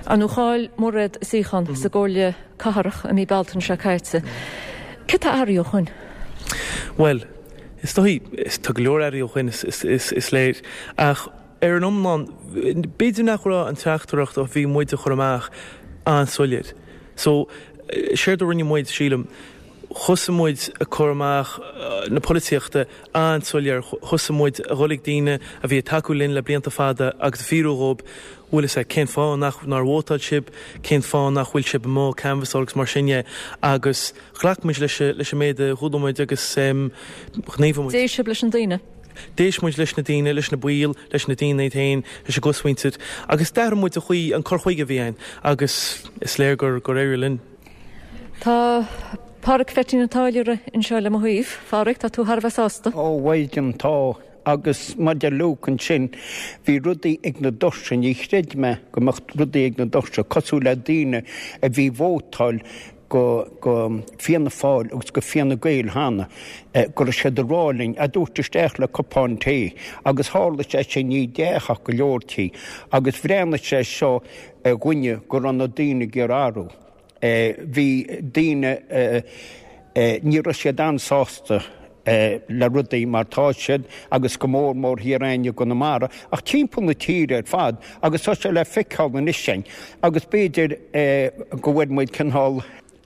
Ar ndóigh chaill Mairéad a suíochán sa gComhairle Cathrach i mí Bealtaine seo caite. Céard tá athraithe ó shoin? Bhuel, is dóigh, tá go leor athraithe ó shoin, is, is, is léir. Ach ar an iomlán, b'fhéidir nach raibh an teachtaireacht a bhí muid a chur amach an-soiléir. So, séard a rinne muid, sílim, thosaigh muid ag cur amach na polaitíochta an-soiléir, thosaigh muid a dhul ag daoine a bhí ag tacú linn le blianta fada agus ag fiafraí dhóibh, bhfuil fhios a'd, cén fáth nach, nár vótáil sibh, cén fáth nach bhfuil sibh amuigh ag canbhasáil agus mar sin dhe agus ghlac muid leis, leis an méid a chuala muid agus ghníomhaigh muid. D'éist sibh leis na daoine? D'éist muid leis na daoine, leis na baill, leis na daoine iad féin, leis an gcosmhuintir agus d'athraigh muid an chaoi, an cur chuige a bhí againn agus is léir gur gur éirigh linn. Tá Pádhraic Pheaitín an Táilliúra anseo le mo thaobh. A Phádhraic, tá tú thar a bheith sásta. Ó, a Mhaighdean, tá. Agus mar a deir Luke ansin, bhí rudaí ag na doirse, ní chreid mé go mbeadh rudaí ag na doirse, cosúil le daoine a bhí ag vótáil go, go Fianna Fáil agus go Fianna Gael cheana, go raibh siad ag rá linn, a dtabhairt isteach le cupán tae. Agus tharla sé sin ní i dteach ach go leor tí. Agus bhreathnaigh sé seo ar dhuine go raibh na daoine ag iarraidh athrú. Bhí daoine, ní raibh siad an-sásta le rudaí mar tá siad agus go mór mór thiar againn i gConamara ach timpeall na tíre ar fad agus tá sé le feiceáil anois sin agus b'fhéidir go bhfuair muid cineál,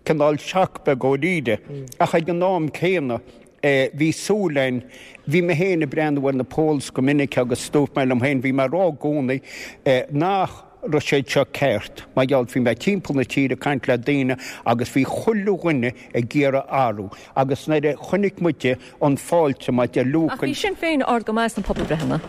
cineál shock beag dháiríre ach ag an am céanna bhí súil againn, bhí mé féin ag breathnú ar na polls go minic agus dúirt mé liom féin, bhí mé ag rá i gcónaí nach raibh siad seo ceart mar gheall bhí mé timpeall na tíre ag caint le daoine agus bhí chuile dhuine ag iarraidh athrú agus nuair a chonaic muide an fáilte mar a deir Luke Ach bhí Sinn Féin ard go maith sna pobalbhreitheanna.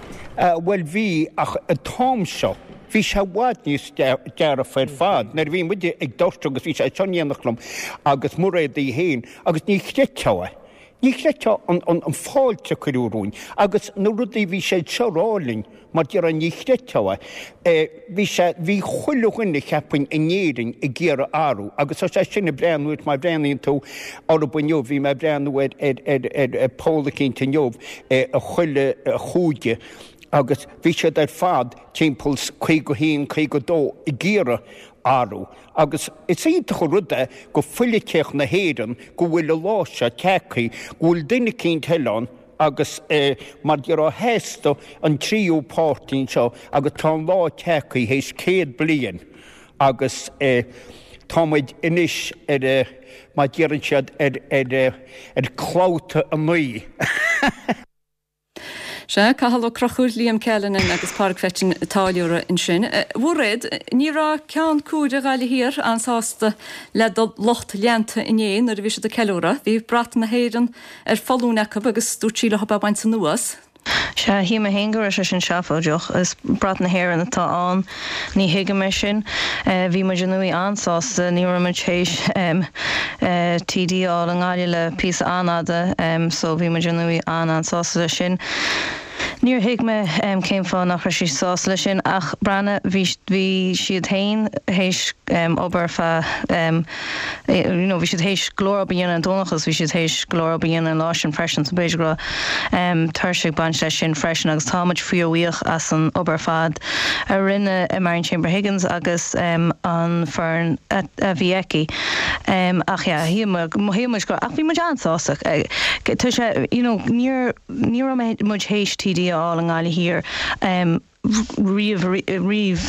Bhuel bhí ach an t-am seo bhí sé i bhfad níos dearfa ar fad nuair a bhí muide ag doirse agus bhí sé seo in éineacht liom agus Mairéad í féin agus ní chreidfeá é. Ní chreidfeá an fáilte a cuireadh romhainn agus na rudaí bhí siad seo ag rá linn, mar déarfá ní chreidfeá é. Bhí sé, bhí chuile dhuine cheapfainn in Éirinn ag iarraidh athrú agus tá sé sin ag breathnú ort má bhreathnaíonn tú orthu inniu, bhí mé ag breathnú ar ar ar ar poll eicínt inniu i chuile chúige agus bhí siad ar fad timpeall 51, 52 ag iarraidh athrú. Agus is iontach an rud é go phoilitíocht na hÉireann go bhfuil an lá seo tagtha, go bhfuil duine eicínt eile ann agus mar déarfá theastaigh an tríú páirtí anseo agus tá an lá tagtha théis 100 bliain agus tá muid anois ar, mar deireann siad, ar, ar, ar clabhta 9. Sea, Cathal Ó Conchúir, Liam Callanan agus Pádraig Pheaitín an Táilliúra ansin. A Mhairéad, ní raibh Ceann Cuaire Ghaillimh Thiar an-sásta le do lucht leanta inné nuair a bhí siad ag ceiliúradh. Bhí brat na hÉireann ar foluain acu agus dúirt sí leo é a bhaint anuas. Sea, shíl mé féin go raibh sé sin seafóideach. Is brat na hÉireann atá ann. Ní thuigim é sin. Bhí muid ar ndóigh an-sásta. Ní raibh muid théis TD a fháil i nGaillimh le píosa an-fhada so bhí muid ar ndóigh an-an-sásta leis sin. Níor thuig mé cén fáth nach raibh siad sásta leis sin ach breathnaigh, bhí bhí siad féin théis obair ar feadh you know bhí siad théis go leor obair a dhéanamh ar an Domhnach agus bhí siad théis go leor obair a dhéanamh an lá sin freisin so b'fhéidir go raibh tuirse ag baint leis sin freisin agus tá muid fíorbhuíoch as an obair ar fad a rinne Marion Chambers Higgins agus an foireann a bhí aici ach yeah shíl shíl muid go ach bhí muid an-sásta tá sé you know níor ní raibh muid théis TD a fháil i nGaillimh Thiar riamh riamh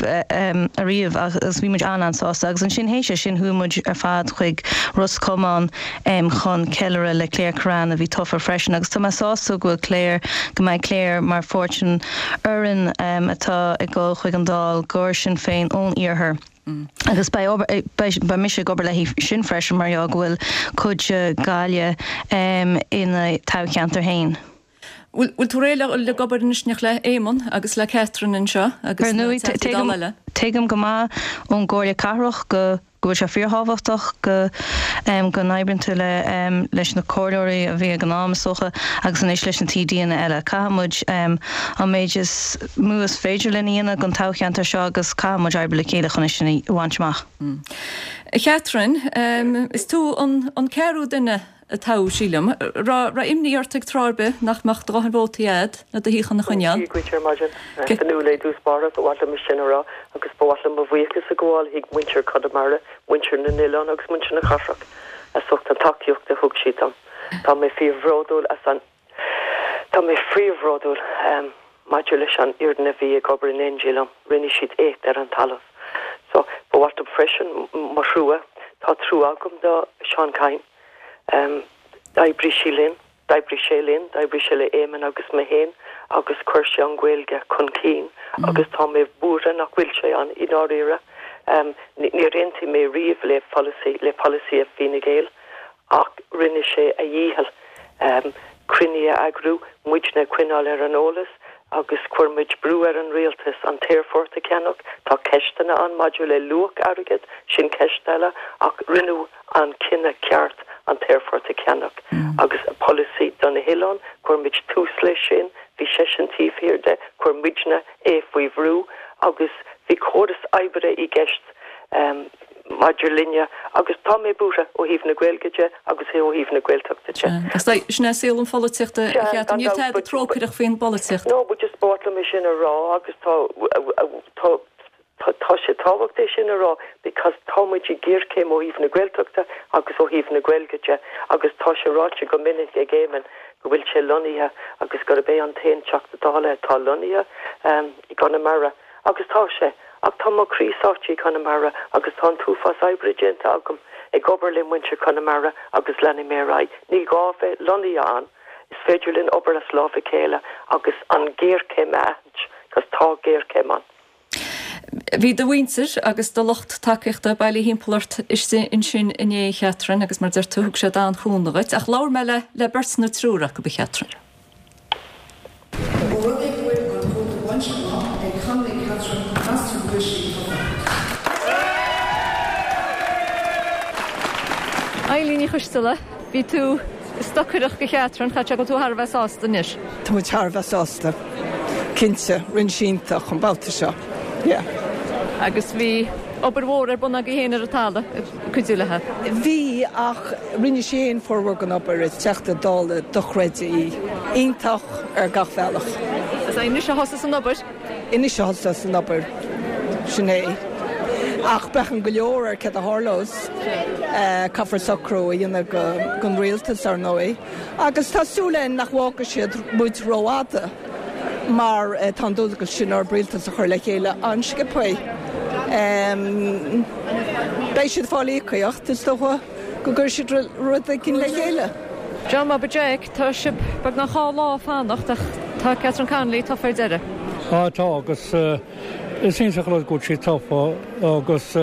ariamh agus bhí muid an-an-sásta agus ansin théis é sin chuaigh muid ar fad chuig Ros Comáin chun ceiliúradh le Claire Kerrane a bhí tofa freisin agus tá mé sásta go bhfuil Claire, go mbeidh Claire mar pháirt den fhoireann atá ag dul chuig an Dáil gur Sinn Féin ón iarthar agus beidh obair, beidh mise ag obair léi sin freisin mar gheall go bhfuil cuid de Ghaillimh ina toghcheantar féin. Bhfuil tú réidh le ag obair anois le Éamonn agus le Catherine anseo agus na Teachtaí Dála eile? Tuigim go maith ón gComhairle Cathrach go go bhfuil sé fíorthábhachtach go go n-oibríonn tú le leis na comhairleoirí a bhí ag an am is dócha agus anois leis na TDanna eile. Caithfidh muid an méid is mó is féidir linn a dhéanamh don toghcheantar seo agus caithfidh muid oibriú le chéile chun é sin a bhaint amach. A Chatherine, is tú an ceathrú duine a toghadh, sílim. Raibh imní ort ag tráth ar bith nach mbeadh do dhóthain vótaí a'd le do shuíochán a choinneáil? Dia dhuit ar maidin. Fionnuala i dtús báire, ba mhaith liom é sin a rá agus ba mhaith liom mo bhuíochas a ghabháil chuig muintir Chonamara, muintir na n-oileán agus muintir na cathrach as ucht an tacaíocht a thug siad dom. Tá mé fíorbhródúil as an Tá mé fíorbhródúil maidir leis an fhoireann a bhí ag obair in éindí liom. Rinne siad éacht ar an talamh. So, ba mhaith liom freisin mo thrua, tá trua agam do Seán Kyne. D'oibrigh sí linn, d'oibrigh sé linn, d'oibrigh sé le Éamon agus mé féin agus chuir sé an Ghaeilge chun cinn agus tá mé buartha nach bhfuil sé ann i ndáiríre. Níor aontaigh mé riamh le polasaí, le polasaí Fine Gael ach rinne sé a dhícheall. Cruinnithe a eagrú, muidne a choinneáil ar an eolas agus chuir muid brú ar an rialtas an t-aerfort a cheannach. Tá ceisteanna ann maidir le luach airgid, sin ceist eile, ach rinneadh an cinneadh ceart an t-aerfort a cheannach agus polasaí do na hoileáin, chuir muid tús leis sin, bhí seisean taobh thiar de, chuir muidne é faoi bhrú agus bhí córas oibre i gceist. maidir linne agus tá mé buartha ó thaobh na Gaeilge de agus ó thaobh na Gaeltachta de. Sin é saol an pholaitíochta, a Chatherine. Níl tada trócaireach faoin bpolaitíocht. No, but just ba mhaith liom é sin a rá agus tá, tá, tá sé tábhachtach é sin a rá because tá muid i géarchéim ó thaobh na Gaeltachta agus ó thaobh na Gaeilge de agus tá sé ráite go minic ag Éamon go bhfuil sé lonnaithe agus gurb é an t-aon Teachta Dála atá lonnaithe i gConamara. Agus tá sé. Ach tá mo chroí sáite i gConamara agus tá an t-uafás oibre déanta agam ag obair le muintir Chonamara agus leanfaidh mé ar aghaidh. Ní gá bheith lonnaithe ann, is féidir linn obair as lámh a chéile agus an ghéarchéim a aithint, 'cause tá géarchéim ann. Bhí do mhuintir agus do lucht tacaíochta bailithe thimpeall ort istigh ansin inné, a Chatherine, agus mar a deir tú, thug siad an-chúnamh dhuit. Ach labhair mé le le beirt nó triúr acu, a Chatherine. Ó rud é go bhfuil an vóta bainte amach ag Connolly Catherine, meastar go bhfuil sí tofa. Eilín Ní Choisteala, bhí tú ag stocaireacht do Chatherine, caithfidh sé go bhfuil tú thar a bheith sásta anois. Tá muid thar a bheith sásta, cinnte. Rinne sí iontach an babhta seo, yeah. Agus bhí obair mhór ar bun agaibh féin ar an talamh ag cuidiú léi. Bhí, ach rinne sí féin formhór den obair. Is Teachta Dála dochreidte í. Iontach ar gach bealach. Is anois a thosas an obair. Anois a thosas an obair. Sin é. Ach braitheann go leor ar céard a tharlós. Caithfear socrú a dhéanamh don rialtas, ar ndóigh. Agus tá súil againn nach bhfágfaidh siad muid rófhada mar tá an dualgas sin orthu rialtas a chur le chéile an-sciobtha. Beidh siad ag fáil íocaíocht, is dócha go gcuirfidh siad rud éigin le chéile. John Bhobby Jeaic, tá sibh beagnach 2 lá ag fanacht ach tá Catherine Connolly tofa ar deireadh. Á tá agus is iontach an rud go bhfuil sí tofa agus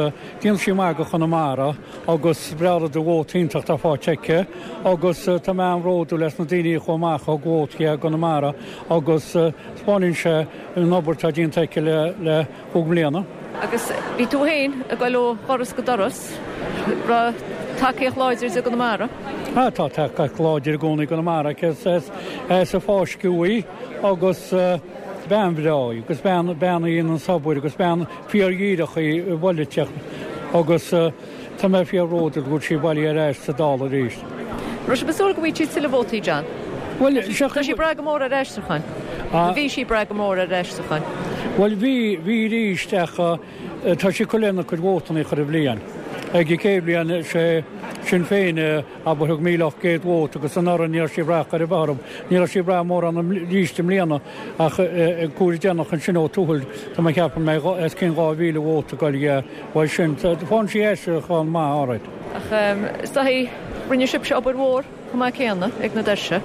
déanfaidh sí maith do Chonamara. agus is breá rud an vóta iontach atá faighte aici agus tá mé an-bhródúil as na daoine a chuaigh amach a thug vóta di i gConamara agus 'spáineann sé an obair atá déanta aici le chúig mbliana. Agus bhí tú féin ag dul ó dhoras go doras, raibh tacaíocht láidir di i gConamara? Ah tá tacaíocht láidir i gcónaí i gConamara aici, is as a fáisceadh í agus bean bhreá í agus bean bean í an-sabhair agus bean fíor-dhíreach í i bpolaitíocht agus tá mé fíor-bhródúil go bhfuil sí bailithe ar ais sa Dáil arís. Raibh sibh ag súil go bhfaigheadh sí tuilleadh vótaí, John? Bhuel, Tá sí ag brath go mór ar aistriúcháin. Nó bhí sí ag brath go mór ar aistriúcháin. Bhuel, bhí, bhí arís ach tá sí ag cur lena cuid vótanna chuile bhliain. Ag an chéad bhliain, sé Sinn Féin a abair thug 1,800 vóta agus anuraidh ní raibh sí ag brath chor ar bith orthu. Ní raibh sí ag brath mórán arís i mbliana ach ag cuaird déanach ansin ó Tuathail tá mé ag ceapadh go mbeidh os cionn 2,000 vóta ag dul aige uaidh sin. Faigheann sí aistriúchán maith alright. Ach is dóigh rinne sibhse obair mhór chomh maith céanna ag na doirse.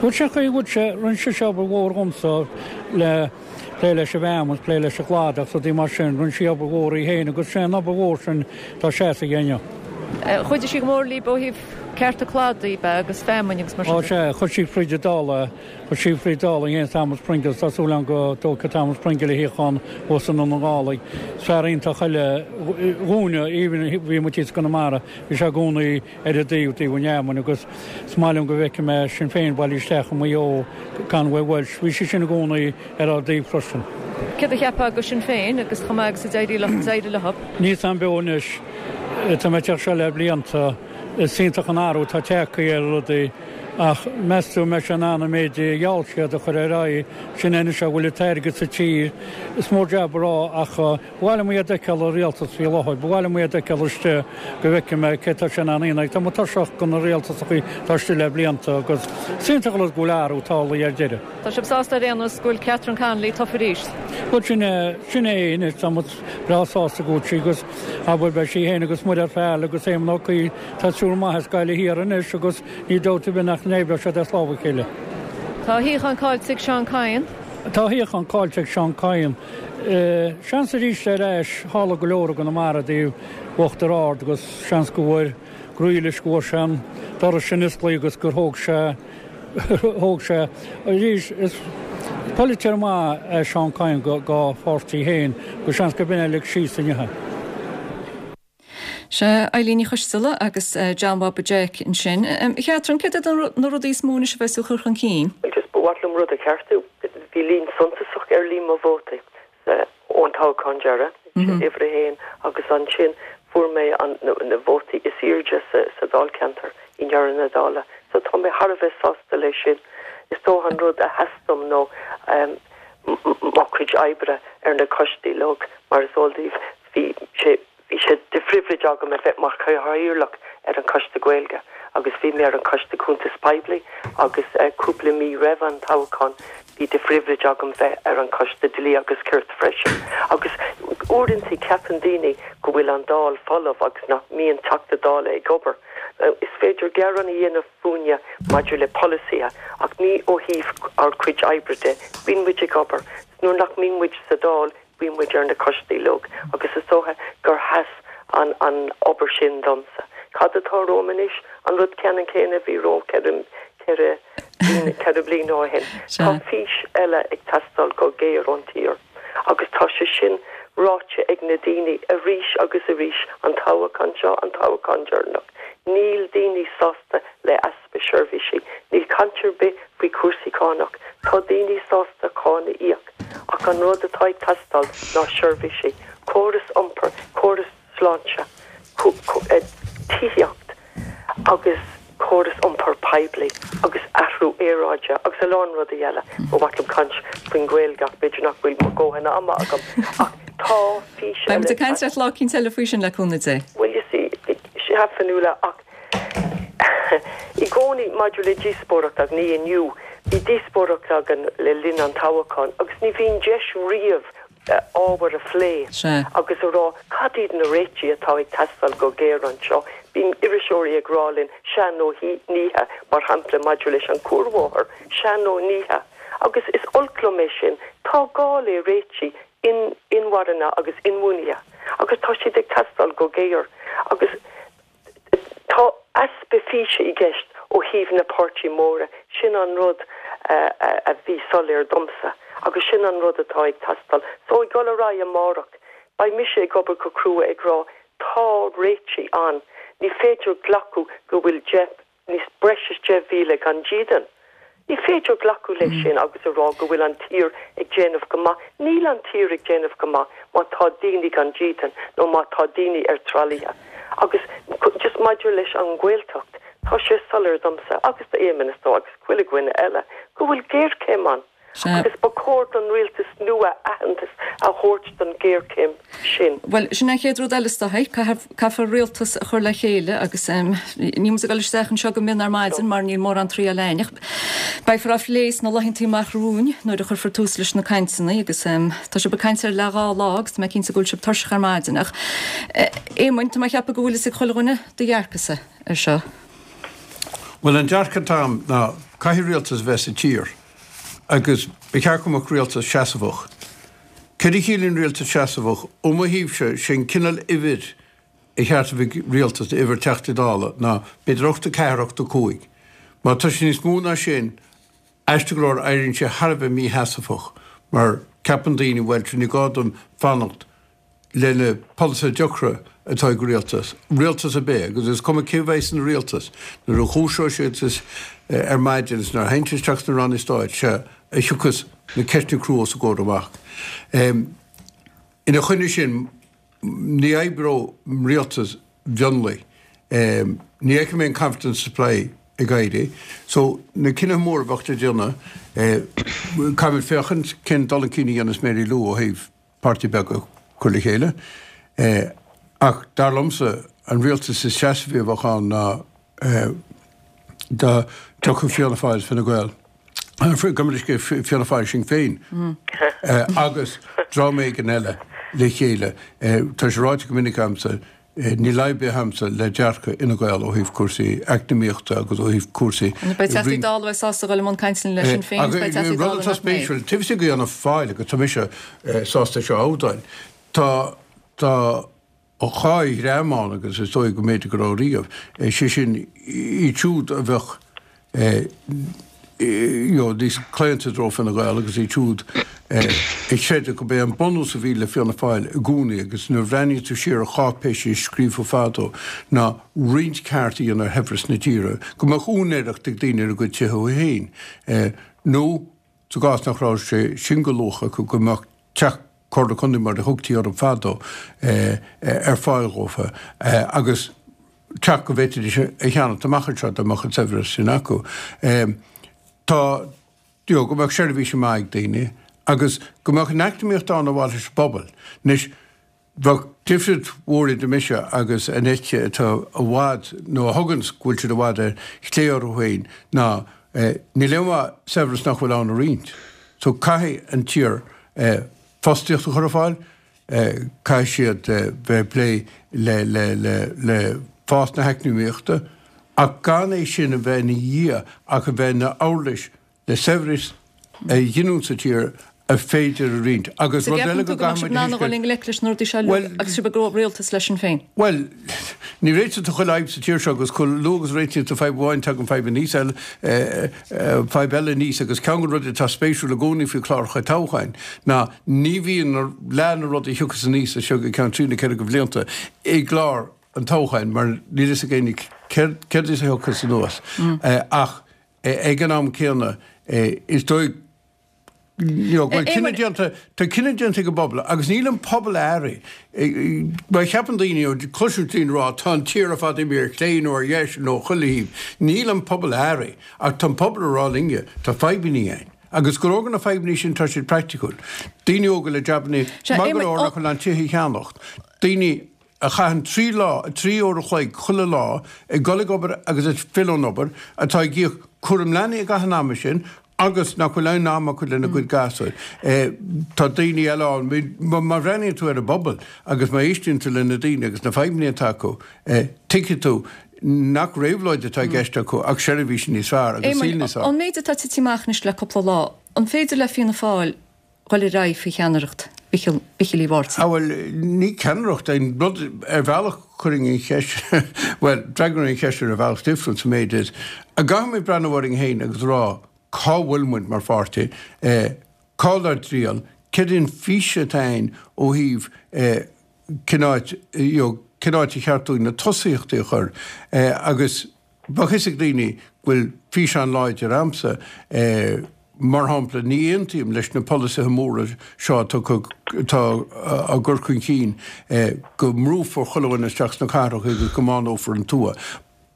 Bhuel sin chaoi bhfuil sé, rinne sise obair mhór dhomsa le plé leis an bhfeamainn, plé leis an gcladach agus rudaí mar sin. Rinne sí obair mhór í féin agus sé an obair mhór sin atá seasamh inniu. Chuidigh sí go mór libh ó thaobh cearta cladaigh de agus feamainn agus mar sin Ó sea, chuir sí fríd an Dáil é, chuir sí fríd Dáil é in éindí Thomas Pringle, tá súil agam go dtógfaidh Thomas Pringle a shuíochán thuas i nDún na nGall. Is fear iontach eile dhúinne, even bhí muid thíos i gConamara, bhí sé i gcónaí ar a dtaobh, taobh an fheamainn agus is maith liom go bhfeicfidh mé Sinn Féin bailithe isteach i Maigh Eo, Conway Walsh, bhí sé sin i gcónaí ar ár dtaobh freisin. Céard a cheapfá go Sinn Féin agus chomh maith agus a d'éirigh leo, d'éirigh leo? Níl 's a'm beo anois, tá mé ag teacht seo le blianta, is iontach an athrú atá tagtha ar rudaí ach meas tú an mbeidh sé in ann an méid a gheall siad a chur ar aghaidh, sin é anois a bhfuil an t-airgead sa tír, is mór jab a rá ach. Ba mhaith liom iad a fheiceáil i rialtas faoi láthair. Ba mhaith liom iad a fheiceáil istigh go bhfeicfidh mé cé tá sé in ann a dhéanamh. Tá mé tuirseach de na rialtasachaí atá istigh le blianta agus is iontach an rud go bhfuil athrú tarlaithe ar deireadh. Tá sibh sásta ar aon nós go bhfuil Catherine Connolly tofa arís? Bhuel sin é, sin é anois. Tá muid breá sásta go bhfuil sí agus abair beidh sí féin agus Mairéad Farrell agus Éamon Ó Cuív, tá triúr maith as Gaillimh Thiar anois agus níl dabht ar bith nach n-oibreoidh siad as lámh a chéile. Tá a shuíochán caillte ag Seán Kyne. Tá a shuíochán caillte ag Seán Kyne. Seans arís ar ais, tharla go leor i gConamara i dtaobh Uachtar Ard agus seans go bhfuair Grealish go bhfuair sé an doras sin osclaithe agus gur thóg sé. thóg sé. Arís, is polaiteoir maith é Seán Kyne dá pháirtí féin, go seans gurb in é a lig síos inniu é. Sea, Eilín Ní Choisteala agus John Bhaba Jeaic ansin. A Chatherine, céard iad na rudaí is mó anois a bheas tú a chur chun cinn? Bhuel, just ba mhaith liom rud a cheartú. Bhí líon suntasach ar líon mo vótaí ón toghchán deireadh, sin uimhir a haon, agus ansin fuair mé na vótaí is airde sa dáilcheantar i ndeireadh na dála. So tá mé thar a bheith sásta leis sin. Is dócha an rud a sheas dom nó mo chuid oibre ar na coistí uilig, mar is eol daoibh, Bhí sé bhí sé de phribhléid agam a bheith mar chathaoirleach ar an Choiste Gaeilge agus bhí mé ar an Choiste Cuntas Poiblí agus cúpla mí roimh an toghchán bhí de phribhléid agam bheith ar an Choiste Dlí agus Cirt freisin. Agus uaireanta ceapann daoine go bhfuil an Dáil folamh agus nach mbíonn Teachta Dála ag obair. Is féidir gearán a dhéanamh fúinne maidir le polasaithe ach ní ó thaobh ár gcuid oibre de. Bíonn muid ag obair. Nuair nach mbíonn muid sa Dáil Bíonn muid ar na coistí uilig agus is dócha gur sheas an an obair sin domsa. Cad atá romham anois? An rud ceannann céanna a bhí romham 4 bliana bliana ó shin. Tá fís eile ag teastáil go géar ón tír agus tá sé sin ráite ag na daoine arís agus arís, an toghchán seo, an toghchán deireanach. Níl daoine sásta le easpa seirbhísí. Níl caint ar bith faoi chúrsaí cánach. Tá daoine sásta cáin a íoc ach an rud atá ag teastáil ná seirbhísí, córas iompair, córas sláinte, tithíocht agus córas iompair poiblí agus athrú aeráide agus a lán rudaí eile. Ba mhaith liom caint faoin Ghaeilge ach b'fhéidir nach bhfuil mo dhóthain ama agam. Ach tá fís eile. Beidh muid ag caint leat lá eicínt eile faoi sin le cúnamh Dé. Bhuel, you see, sea, Fionnuala, ach I gcónaí maidir le díospóireacht, ach ní inniu, bhí díospóireacht againn le linn an toghcháin agus ní bhíonn deis riamh ábhair a phlé agus a rá cad iad na réitigh atá ag teastáil go géar anseo. Bíonn iriseoirí ag rá linn sea nó ní hea, mar shampla maidir leis an cuarbhóthar, sea nó ní hea. Agus is olc liom é sin. Tá gá le réitigh inmharthana agus inbhuanaithe agus tá siad ag teastáil go géar. Agus Tá easpa físe i gceist ó thaobh na páirtí móra, sin an rud a bhí soiléir domsa agus sin an rud atá ag teastáil. So ag dul ar aghaidh amárach, beidh mise ag obair go crua ag rá tá réitigh ann, ní féidir glacadh go bhfuil 10, níos breis is 10,000 gan dídean. Ní féidir glacadh leis sin agus a rá go bhfuil an tír ag déanamh go maith. Níl an tír ag déanamh go maith má tá daoine gan dídean nó má tá daoine ar tralaithe. Agus just maidir leis an nGaeltacht, tá sé soiléir domsa agus d'Éamonn is dóigh agus chuile dhuine eile go bhfuil géarchéim ann. Agus ba chóir don rialtas nua aitheantas a thabhairt don ghéarchéim sin. Bhuel, sin an chéad rud eile is dóigh. Caithfear rialtas a chur le chéile agus níl muid ag dul isteach anseo go mion ar maidin mar níl mórán triail againn ach beifear á phlé sna laethanta amach romhainn nuair a chuirfear tús leis na cainteanna agus tá sibh ag caint ar leath dhá lá agus tá mé cinnte go bhfuil sibh tuirseach ar maidin ach Éamoinn, tá mé ag ceapadh go bhfuil fhios ag chuile dhuine do dhearcadhsa ar seo. Bhuel, an dearcadh atá agam ná caithfidh rialtas a bheith sa tír. Agus ba cheart go mbeadh rialtas seasmhach. Céard a chiallaíonn rialtas seasmhach? Ó mo thaobhse, sé an cineál uimhir a cheart a bheith ag rialtas, uimhir Teachtaí Dála, ná b'fhéidir 84, 85. Má tá sé níos mó ná sin, aisteach go leor, éiríonn sé thar a bheith mísheasmhach mar ceapann daoine, bhuel, ní gá dom fanacht le na polasaithe deacra atá ag rialtas, rialtas ar bith, agus is cuma cé a bheidh san rialtas, nuair a dhúiseoidh siad ar maidin is nuair a théann siad isteach sna ranna stáit, sea a thiocfas na ceisteanna crua os a gcomhair amach. Ina choinne sin, ní oibreoidh rialtas mhionlaigh. Ní fheicim aon confidence supply ag éirí. So, na cinnithe móra a bheadh le déanamh, caithfimid féachaint cén dul chun cinn a dhéanas Mary Lou ó thaobh páirtí beag a chur le chéile. Ach dar liomsa, an rialtas is seasmhaí a bheadh ann ná dá dtiocfadh Fianna Fáil is Fine Gael, gabh mo leithscéal, Fianna Fáil Sinn Féin agus dream éigin eile le chéile. Tá sé ráite go minic agamsa, Níl fadhb ar bith agamsa le dearcadh Fhine Gael ó thaobh cúrsaí eacnamaíochta agus ó thaobh cúrsaí. Beidh Teachtaí Dála a bheidh sásta a dhul i mbun cainteanna le Sinn Féin agus beidh Teachtaí Dála nach mbeidh. Rud atá spéisiúil, taobh istigh de Fhianna Fáil, agus tá mise sásta é seo a admháil, tá tá dhá dhream ann agus is dóigh go mb'fhéidir go raibh riamh, sé sin iad siúd a bheadh. you know, níos claonta i dtreo Fine Gael agus iad siúd a chreideadh gurb é an bunús a bhí le Fianna Fáil i gcónaí agus nuair a bhreathnaíonn tú siar ar cháipéisí a scríofa fadó ná roinnt ceart a dhéanamh ar shaibhreas na tíre, go mbeadh úinéireacht ag daoine ar a gcuid tithe féin nó sa gcás nach raibh sé sin de luach acu go mbeadh teach Comhairle Contae mar a thugtaí orthu fadó ar fáil dhófa agus teach go bhféadfaidís a cheannacht amach anseo dá mbeadh an saibhreas sin acu. Tá, you know, go mbeadh seirbhísí maith ag daoine agus go mbeadh an eacnamaíocht ann ar mhaithe leis an bpobal. Anois, Bheadh difríocht mhór idir mise agus an eite atá i bhfad, nó a thuganns go bhfuil siad i bhfad ar chlé orthu féin, ná níl aon mhaith saibhreas nach bhfuil ann a roinnt. So caithfidh an tír fostaíocht a chur ar fáil, caithfidh siad bheith ag plé le le le le fás na heacnamaíochta, ach gan é sin a bheith ina dhia ach a bheith ina uirlis le saibhreas a ghiniúint sa tír a féidir a roinnt. Agus rud eile go gcaithfidh muid a thuiscint. i ngleic leis na rudaí seo uilig agus sibh ag rialtas le Sinn Féin? Bhuel, ní réitíonn tú chuile fhadhb sa tír seo agus chomh luath agus a réitíonn tú fadhb amháin tagann fadhb aníos eile, fadhb eile aníos agus ceann de na rudaí atá spéisiúil i gcónaí faoi chláracha toghcháin ná ní bhíonn leath na rudaí a thiocfas aníos as seo go ceann trí nó ceithre de bhlianta i gclár an toghcháin mar níl fhios ag éinne céard is a thiocfas anuas ach Ag an am céanna, is dóigh you know, go bhfuil cinneadh déanta, tá cinneadh déanta ag an bpobal agus níl an pobal athraithe. Mar cheapann daoine, you know, cloiseann daoine ag rá tá an tír ar fad imithe ar chlé nó ar dheis nó chuile thaobh. Níl an pobal athraithe ach tá an pobal ag rá linne, tá fadhbanna againn. Agus go leor de na fadhbanna sin tá siad praiticiúil. Daoine óga le jabanna maith go leor nach bhfuil in ann tithe a cheannacht. Daoine a chaitheann 3 lá, 3 uair a chloig chuile lá ag dul ag obair agus ag filleadh ón obair, atá ag íoc cúram leanaí i gcaitheamh an ama sin agus nach bhfuil aon am acu lena gcuid gasúir. Tá daoine eile ann, má bhreathnaíonn tú ar an bpobal agus má éisteann tú le na daoine agus na fadhbanna atá acu, tuigfidh tú nach réabhlóid atá i gceist acu ach seirbhísí níos fearr agus saol níos fearr. An méid atá tite amach anois le cúpla lá, an féidir le Fianna Fáil dhul ar aghaidh faoi cheannaireacht Mhichíl Uí Mháirtín. Ah bhuel, ní ceannaireacht é an rud, ar bhealach chuirfinn an cheist, bhuel, d'fhreagróinn an cheist ar bhealach difriúil sa méid is, an gcaithfimid breathnú orainn féin agus rá cá bhfuil muid mar pháirtí, cá bhfuil ár dtriall, céard é an fís atá againn ó thaobh cén áit, you know, cén áit ar cheart dúinn na tosaíochtaí a chur agus Bheadh fhios ag daoine go bhfuil fís an-láidir a'msa. Mar shampla, ní aontaím leis na polasaithe móra seo atá atá á gcur chun cinn go mbrúfar chuile dhuine isteach sna cathracha agus go mbánófar an tuath.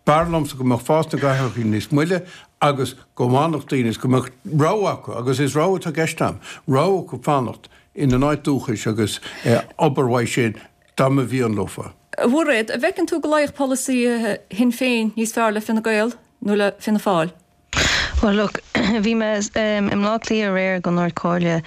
B'fhearr liomsa go mbeadh fás na gcathracha níos moille agus go bhfanfadh daoine is go mbeadh rogha acu, agus is rogha atá i gceist a'm, rogha acu fanacht ina n-áit dúchais agus obair uaidh sin dá mba mhian leofa. A Mhairéad, an bhfeiceann tú go luífeadh polasaithe Shinn Féin níos fearr le Fine Gael nó le Fianna Fáil? Bhuel, look, bhí mé i mBleá Cliath aréir don Ard Comhairle,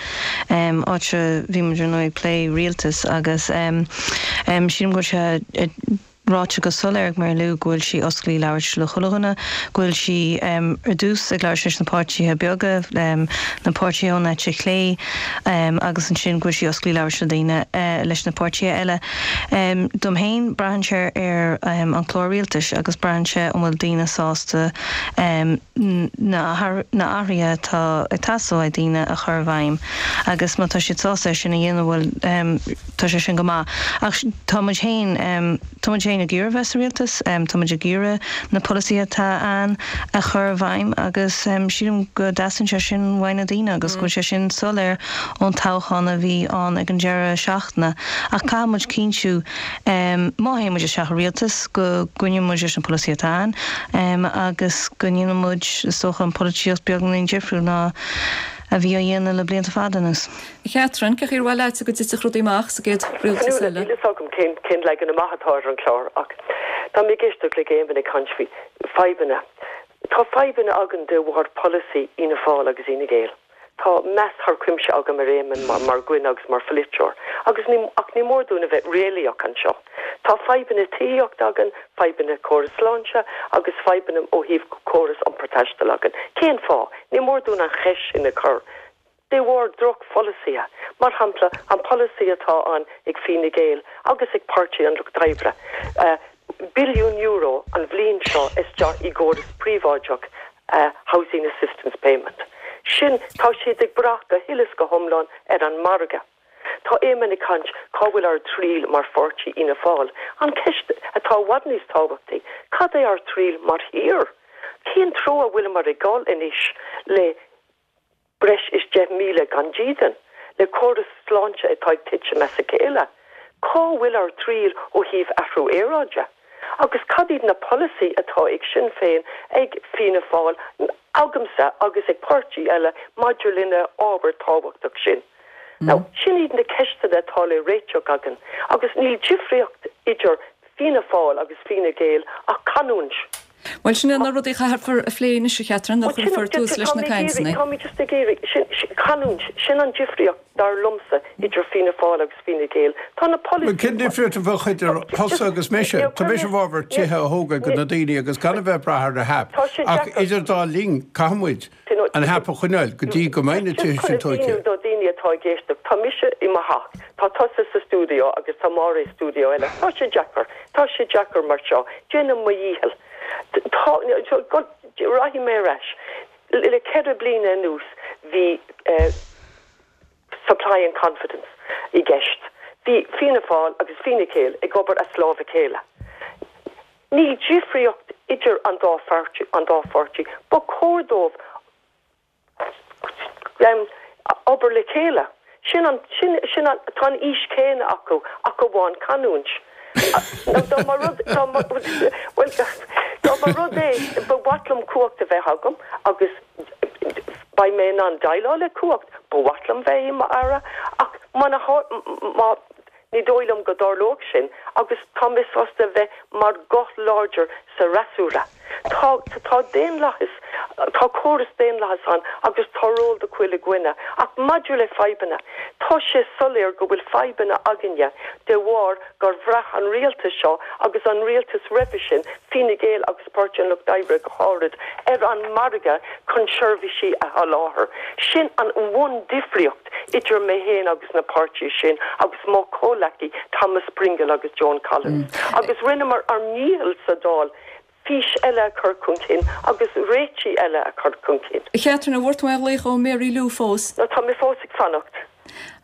áit a bhí muid ar ndóigh ag plé rialtas agus sílim go bhfuil sé ráite go soiléir ag Mary Lou go bhfuil sí oscailte labhairt le chuile dhuine, go bhfuil sí ar dtús ag labhairt leis na páirtithe beaga, na páirtithe ón eite chlé agus ansin go bhfuil sí oscailte labhairt le daoine, leis na páirtithe eile. Dom féin, braitheann sé ar an chlár rialtais agus braitheann sé an bhfuil daoine sásta na hathruithe atá ag teastáil ó daoine a chur i bhfeidhm agus má tá siad sásta é sin a dhéanamh, bhuel, tá sé sin go maith. Ach tá muid féin, tá muid féin ag iarraidh bheith sa rialtas, tá muid ag iarraidh na polasaithe atá ann a chur i bhfeidhm agus sílim go dteastaíonn sé sin uaidh na daoine agus go bhfuil sé sin soiléir ón toghchán a bhí ann ag an deireadh seachtaine. Ach caithfidh muid cinntiú, má théann muid isteach i rialtas, go gcoinneoidh muid leis na polasaithe atá ann agus go ndéanfaidh muid, is dócha, an pholaitíocht beagáinín difriúil ná a bhí á dhéanamh le blianta fada anuas. A Chatherine, cén chaoi ar mhaith leatsa go dtitfeadh rudaí amach sa gcéad rialtas eile? Níl fhios agam cén cén leagan amach atá ar an chlár ach tá mé ag éisteacht le Éamonn ag caint faoi fadhbanna. Tá fadhbanna againn de bharr polasaí Fhianna Fáil agus Fhine Gael. Tá meas thar cuimse agam ar Éamonn mar dhuine agus mar pholaiteoir agus ní ach ní mór dúinn a bheith réalaíoch anseo. Tá fadhbanna tithíochta againn, fadhbanna córas sláinte agus fadhbanna ó thaobh córas iompar taistil againn. Cén fáth? Ní mór dúinn an cheist sin a chur. De bharr drochpholasaithe. Mar shampla, an polasaí atá ann ag Fine Gael agus ag Páirtí an Lucht Oibre, billiún euro an bhliain seo isteach i gcóras príobháideach. Housing Assistance Payment. Sin, tá siad ag brath go huile is go hiomlán ar an margadh. Tá Éamon ag caint cá bhfuil ár dtriall mar pháirtí Fhianna Fáil. An ceist atá i bhfad níos tábhachtaí, cad é ár dtriall mar thír? Cén treo a bhfuileamar ag dul anois le breis is 10,000 gan dídean, le córas sláinte atá ag titim as a chéile? Cá bhfuil ár dtriall ó thaobh athrú aeráide? Agus cad iad na polasaí atá ag Sinn Féin, ag Fianna Fáil, agamsa agus ag páirtí eile maidir lena ábhar tábhachtach sin? Now, sin iad na ceisteanna atá le réiteach againn agus níl difríocht idir Fianna Fáil agus Fine Gael ach canúint. Bhuel, sin iad na rudaí a chaithfear a phlé anois, a Chatherine, nuair a chuirfear tús leis na cainteanna. Tá mé just ag iarraidh, sin, canúint, sin an difríocht, dar liomsa, idir Fianna Fáil agus Fine Gael. Tá na polasaithe. Cén difríocht a bheadh idir thusa agus mise? Tá mise i bhfabhar tithe a thógáil do na daoine agus gan a bheith ag brath ar an HAP. Ach idir dá linn, caithfidh muid an HAP a choinneáil go dtí go mbeidh na tithe sin tógtha. Just chun a mhíniú do dhaoine atá ag éisteacht, tá mise i mo theach, tá tusa sa stiúideo agus tá Máire i stiúideo eile. Tá sé deacair, tá sé deacair mar seo. Déanaim mo dhícheall. Tá, rachaidh mé ar ais. Le 4 bliana anuas bhí supply and confidence i gceist. Bhí Fianna Fáil agus Fine Gael ag obair as lámh a chéile. Níl difríocht idir an dá pháirtí, an dá pháirtí. Ba chóir dóibh obair le chéile. Sin an, sin, sin an, tá an fhís chéanna acu, ach amháin canúint. Nó dá mba rud, dá mba, bhuel, dá mba rud é, ba mhaith liom cumhacht a bheith agam agus beidh mé in ann déileáil le cumhacht, ba mhaith liom bheith i m'aire, ach má, má, Ní dóigh liom go dtarlódh sin agus tá mé sásta a bheith mar guth láidir sa fhreasúra. Tá, tá daonlathas, tá córas daonlathas ann agus tá ról do chuile dhuine. Ach maidir le fadhbanna, tá sé soiléir go bhfuil fadhbanna againne de bharr gur bhraith an rialtas seo agus an rialtas roimhe sin, Fine Gael agus Páirtí an Lucht Oibre go háirid, ar an margadh chun seirbhísí a sholáthar. Sin an bhun-difríocht idir mé féin agus na páirtithe sin agus mo chomhleacaí Thomas Pringle agus Joan Collins. Agus rinneamar ár ndícheall sa Dáil fís eile a chur chun cinn agus réitigh eile a chur chun cinn. A Chatherine, an bhfuair tú aon ghlaoch ó Mary Lou fós? No, tá mé fós ag fanacht.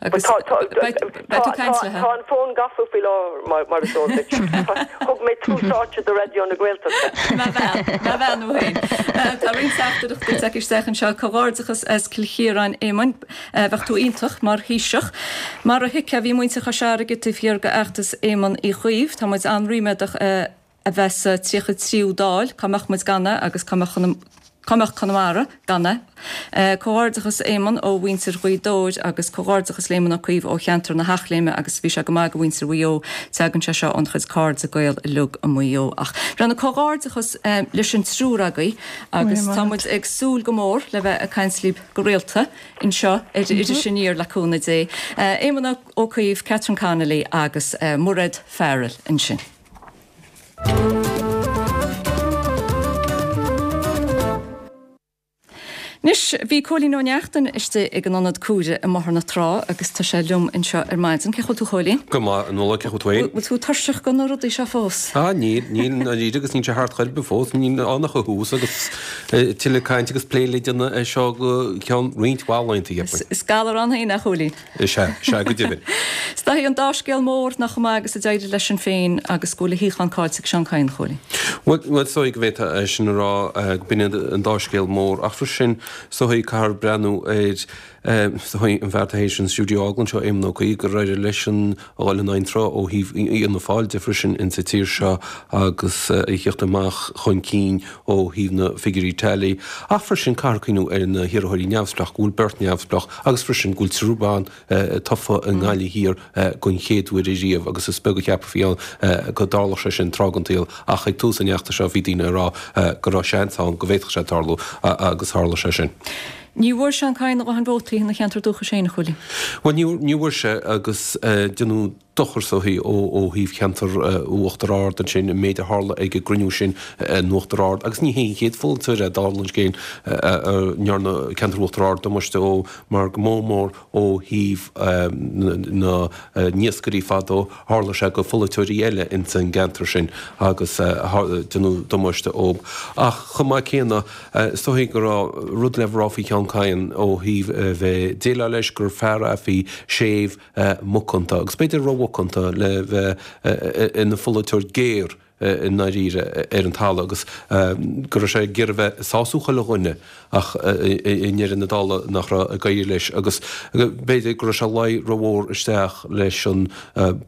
Agus beidh tú ag caint léi. Tá an fón gafa faoi láthair, mar is eol duit. Thug mé tús áite do Raidió na Gaeltachta. Má bhean nó féin. Tá roinnt teachtaireachtaí tagtha isteach anseo. Comhghairdeachas as Cill Chiaráin, Éamoinn. Bheadh tú iontach mar Thaoiseach. Mar a thuigfeá, bhí muintir Chois Fharraige taobh thiar d'fheachtas Éamon Uí Chuív. Tá muid an-ríméadach a bheith sa 33ú Dáil. Cá mbeadh muid gan é agus cá mbeadh cá mbeadh Conamara gan é? Comhghairdeachas Éamon ó mhuintir Ghaoth Dobhair agus comhghairdeachas le Éamon Ó Cuív ó cheantar na hEachléime agus bhí sé go maith do mhuintir Mhaigh Eo. Tagann sé seo óna chuid cairde Gael uilig i Maigh Eo. Ach bhuel comhghairdeachas leis an triúr agaibh agus tá muid ag súil go mór le bheith ag caint libh go rialta anseo ar Iris Aniar le cúnamh Dé. Éamon Ó Cuív, Catherine Connolly agus Mairéad Farrell ansin. Anois, bhí Cóilín Ó Neachtain istigh ag an Ionad Cuaire i mBóthar na Trá agus tá sé liom anseo ar maidin. Cén chaoi a bhfuil tú, a Chóilín? Go maith, a Nuala, cén chaoi a bhfuil tú féin? Bhfuil tú tuirseach de na rudaí seo fós? Ah, níl, níl, i ndáiríre agus níl sé thart chor ar bith fós. Níl ann ach an tús agus tuilleadh cainte agus plé le déanamh air seo go ceann roinnt mhaith laethanta, cheapfainn. Is galar ann féin é, a Chóilín. Is ea, is ea, go deimhin. Is dóichí an dá scéal mór ná chomh maith agus a d'éirigh le Sinn Féin agus go bhfuil a shuíochán caillte ag Seán Kyne, a Chóilín. Bhuel, bhuel, is dóigh go bhféadfá é sin a rá, go b'in iad an dá scéal mór. Ach freisin, is dóigh, caithfear breathnú ar, is dóigh, an fear atá théis an stiúideo a fhágáil anseo, Éamon Ó Cuív, gur éirigh leisean a dhul in aghaidh an tsrutha ó thaobh Fhianna Fáil de freisin insa tír seo agus a thíocht amach chun cinn ó thaobh na figiúirí tally, ach freisin caithfear cuimhniú ar na hiarrthóirí neamhspleách, go bhfuil beirt neamhspleách agus freisin go bhfuil triúr ban tofa i nGaillimh Thiar den chéad uair ariamh agus is beag a cheapfaí ann go dtarlódh sé sin tráth den tsaol ach ag tús an fheachtais seo bhí daoine ag rá go raibh seans ann go bhféadfadh sé tarlú agus tharla sé sin. Ní bhfuair Seán Kyne a dhóthain vótaí ina cheantar dúchais féin, a Chóilín. Bhuel ní bhfuair sé agus déanadh. dochar is dóichí ó thaobh cheantar Uachtar Ard ansin, an méid a tharla ag an gcruinniú sin in Uachtar Ard agus ní hé an chéad pholaiteoir é dála an scéil a ndearna ceantar Uachtar Ard damáiste dhó mar go mór mór ó thaobh na n-iascairí fadó, tharla sé go pholaiteoirí eile ins an gceantar sin agus déanadh damáiste dhób. Ach chomh maith céanna, is dóichí go raibh rud le rá faoi Sheán Kyne ó thaobh a bheith ag déileáil leis, gur fear é a bhí séimh macánta, agus b'fhéidir rómhacánta le bheith ina pholaiteoir géar i ndáiríre ar an talamh agus go raibh sé ag iarraidh bheith ag sású chuile dhuine ach i ndeireadh na dála nach raibh ag éirí leis agus b'fhéidir go raibh sé ag luí rómhór isteach leis an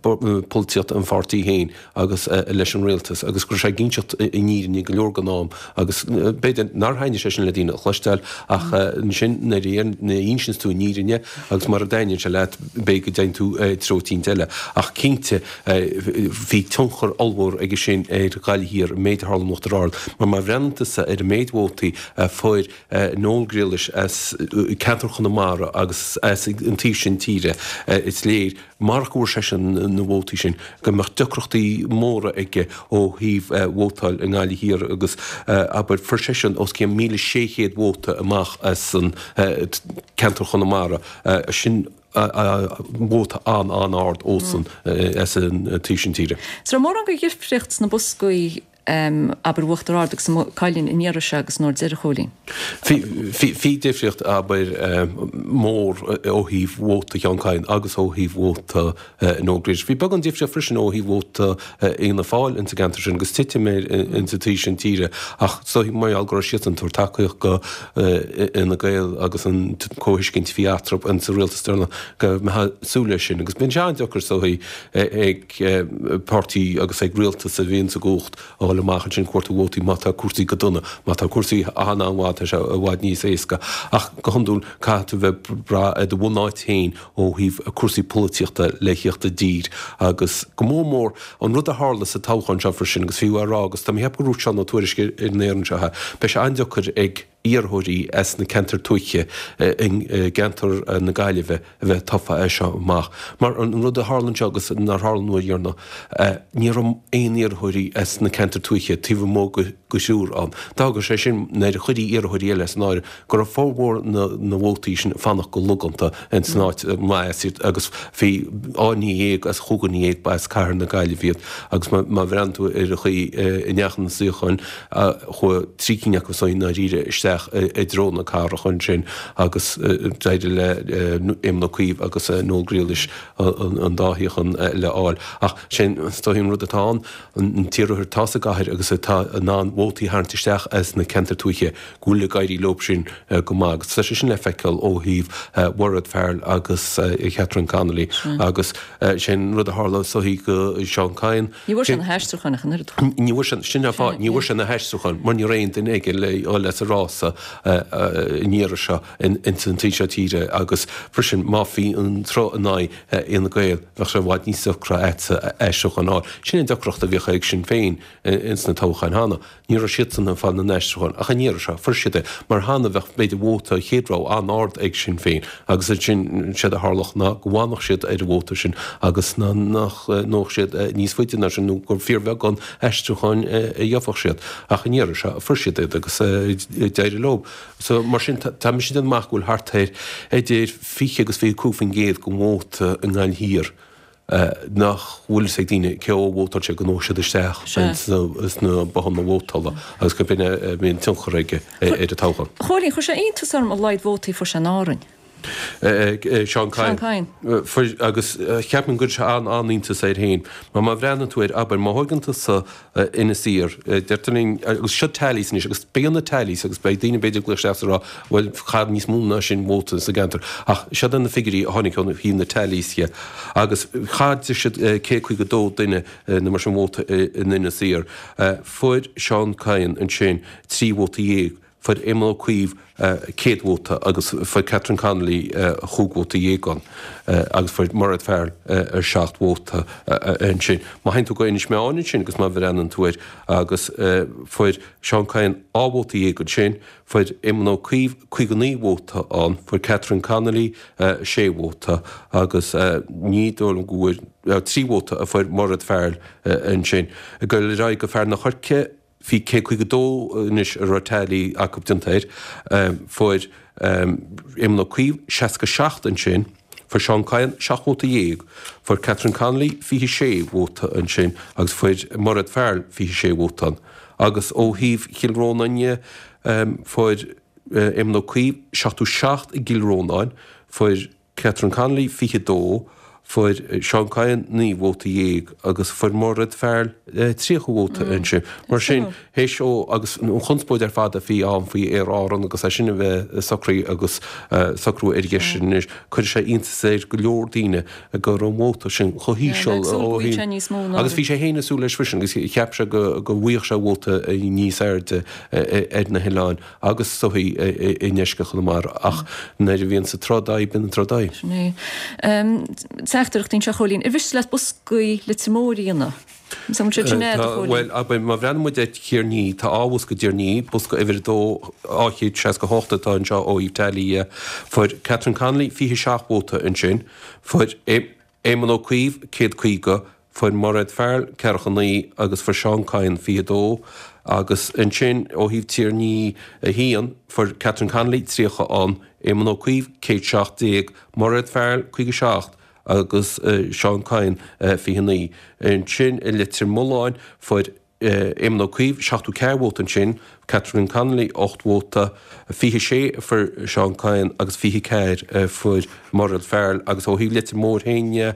polaitíocht an pháirtí féin agus leis an rialtas agus go raibh sé ag inseacht an fhírinne go leor den am agus b'fhéidir nár thaitnigh sé sin le daoine a chloisteáil ach ansin nuair a insíonns tú an fhírinne agus mura dtaitníonn sé leat b'fhéidir go dtéann tú treo eicínt eile ach cinnte Bhí tionchar ollmhór aige sin ar Ghaillimh Thiar, an méid a tharla in Uachtar Ard, mar má bhreathnaíonn tusa ar an méid vótaí a fuair Noel Grealish as ceantar Chonamara agus as an taobh sin tíre, is léir, marach go bhfuair seisean na vótaí sin, go mbeadh deacrachtaí móra aige ó thaobh vótáil i nGaillimh Thiar agus, abair, fuair seisean os cionn 1,600 vóta amach as an ceantar Chonamara, sin. vóta an-an-ard ósan as an taobh sin tíre. An raibh mórán de dhifríocht sna boscaí, abair, Uachtar Ard agus Maigh Cuilinn an iarraidh seo agus an uair deiridh, a Chóilín? Bhí difríocht, abair, mór ó thaobh vóta Sheán Kyne agus ó thaobh vóta Noel Grealish. Bhí beagán difríocht freisin ó thaobh vóta Fhianna Fáil ins an gceantar sin agus titim air ins an taobh sin tíre ach is dóichí mar gheall go raibh siadsan ag tabhairt tacaíocht go Fhine Gael agus an comhthuiscint a bhí eatarthu ins an rialtas deireanach go mbeifeá ag súil leis sin agus bíonn sé an-deacair is dóichí ag páirtí agus ag rialtas a bhíonn sa gcumhacht a dhul amach ansin ag cuartú vótaí má tá cúrsaí go dona. Má tá cúrsaí an-an-mhaith tá sé i bhfad níos éasca ach go hiondúil caithfidh tú bheith ag brath ar do bhunáit féin ó thaobh cúrsaí polaitíochta le thíocht i dtír agus go mór mór an rud a tharla sa toghchán seo freisin agus fiú á rá agus tá mé ag ceapadh go raibh Seán Ó Tuairisg ar an aer anseo beidh sé an-deacair ag iarrthóirí as na ceantair tuaithe i gceantar na Gaillimhe a bheith tofa as seo amach mar an rud a tharla anseo agus nár tharla an uair dheireanach ní raibh aon iarrthóirí as na ceantair tuaithe taobh amuigh de thriúr ann. D'fhág sé sin nuair a chuirí iarrthóirí eile san áireamh go raibh formhór na vótaí sin ag fanacht go logánta ins an áit mba as iad agus bhí 12 dhuine as chúig dhuine dhéag ba as cathair na Gaillimhe iad agus má bhreathnaíonn tú ar an chaoi a ndeachaigh na suíocháin chuaigh trí cinn acu san i ndáiríre isteach i dtreo na cathrach ansin agus d'éirigh le Éamon Ó Cuív agus Noel Grealish an dá shuíochán eile a fháil. Ach sin is dóigh an rud atá ann, an t-iarrthóir atá sa gcathair agus atá in ann vótaí a tharraingt isteach as na ceantair tuaithe, go bhfuil ag éirí leo sin go maith agus tá sé sin le feiceáil ó thaobh Mhairéad Farrell agus Catherine Connolly agus sin rud a tharla is dóichí go Seán Kyne. Ní bhfuair sé na haistriúcháin ach an oiread. Ní bhfuair sé, sin an fáth, ní bhfuair sé na haistriúcháin mar ní raibh aon duine aige le dhul as an rása an iarraidh seo ins an taobh seo tíre agus freisin má bhí an sruth in aghaidh Fhine Gael bheadh sé i bhfad níos deacra agatsa aistriúchán a fháil. Sin an deacracht a bhíodh ag Sinn Féin ins na toghcháin cheana. Ní raibh siadsan ag fáil na n-aistriúchán, ach an iarraidh seo, fuair siad é, mar cheana bheadh b'fhéidir vóta chéad rogha an-ard ag Sinn Féin agus ansin séard a tharlódh ná go bhfanfadh siad ar an vóta sin agus ná nach ngabhfadh siad níos faide ná sin nó gur fíorbheagán aistriúcháin a gheobhadh siad. Ach an iarraidh seo, fuair siad iad agus d'éirigh leo. So mar sin, tá mise ag déanamh amach go bhfuil thart ar idir 20 agus 25% den vóta i nGaillimh Thiar nach bhfuil fhios ag daoine cé dhó a vótáil siad go ngabhfaidh siad isteach sna bothanna vótála agus gurb in é a bhíonn tionchar aige ar an toghchán. A Chóilín, chuir sé iontas orm a laghad vótaí a fuair sé in Árainn. Seán Kyne. Seán Kyne. Fuair, agus cheapfainn go gcuir sé an-iontas air féin. Mar má bhreathnaíonn tú air, abair, má thóigeann tusa Inis Oírr, deirtear linn, agus seo tallies anois, agus beidh na tallies, agus beidh daoine b'fhéidir ag glaoch isteach is ag rá, bhuel, chaith níos mó ná sin vóta sa gceantar. Ach siod iad na figiúirí a tháinig ó thaobh na tallies dhe. Agus chaith siad 152 duine nó mar sin vóta in Inis Oírr. Fuair Seán Kyne ansin 13 vóta. Fuair Éamon Ó Cuív 100 vóta agus fuair Catherine Connolly chúig vóta dhéag ann agus fuair Mairéad Farrell 7 vóta ansin. Má théann tú go Inis Meáin ansin agus má bhreathnaíonn tú air agus fuair Seán Kyne 12 vóta ansin, fuair Éamon Ó Cuív 59 vóta ann, fuair Catherine Connolly 6 vóta agus ní dóigh liom go bhfuair, 3 vóta a fuair Mairéad Farrell ansin. Ag dul ar aghaidh go Fearann an Choirce, Bhí 152 anois a raibh tally acu déanta air. Fuair Éamon Ó Cuív 67 ansin, fuair Seán Kyne 17 vóta, fuair Catherine Connolly 26 vóta ansin agus fuair Mairéad Farrell 26 vóta ann. Agus ó thaobh Chill Rónáin dhe, fuair Éamon Ó Cuív 77 i gCill Rónáin, fuair Catherine Connolly 22, fuair Seán Kyne 19 vóta agus fuair Mairéad Farrell 30 vóta ansin. Mar sin, théis ó agus an chonspóid ar fad a bhí ann faoi Aer Árann agus é sin a bheith socraithe agus socrú ar an gceist sin anois, cuirfidh sé iontas ar go leor daoine go raibh an vóta sin chomh híseal ó thaobh agus bhí sé féin ag súil leis freisin agus cheap sé go bhfaigheadh sé vóta níos airde ar na hoileáin. agus is dóichí i ndeisceart Chonamara ach nuair a bhíonn an tráth id aghaidh, bíonn an tráth id aghaidh. Sin é. Teachtaireachtaí anseo, a Chóilín. Ar mhiste leat boscaí Leitir Móir a dhéanamh? An bhfuil siad sin agat, a Chóilín? Bhuel, abair, má bhreathnaíonn muid ar Thír an Fhia, tá dhá bhosca i dTír an Fhia, bosca uimhir a dó, 268 atá anseo ó thaobh tally dhe. Fuair Catherine Connolly 27 vóta ansin. Fuair Éamon Ó Cuív 150, fuair Mairéad Farrell 49 agus fuair Seán Kyne 22 agus ansin ó thaobh Tír an Fhia 1, fuair Catherine Connolly 30 ann, Éamon Ó Cuív 117, Mairéad Farrell 57 agus Seán Kyne 29. Ansin i Leitir Mealláin fuair Éamon Ó Cuív, 74 vóta ansin, Catherine Connolly, 8 vóta, 26 a fuair Seán Kyne agus 24 a fuair Mairéad Farrell agus ó thaobh Leitir Móir féin dhe,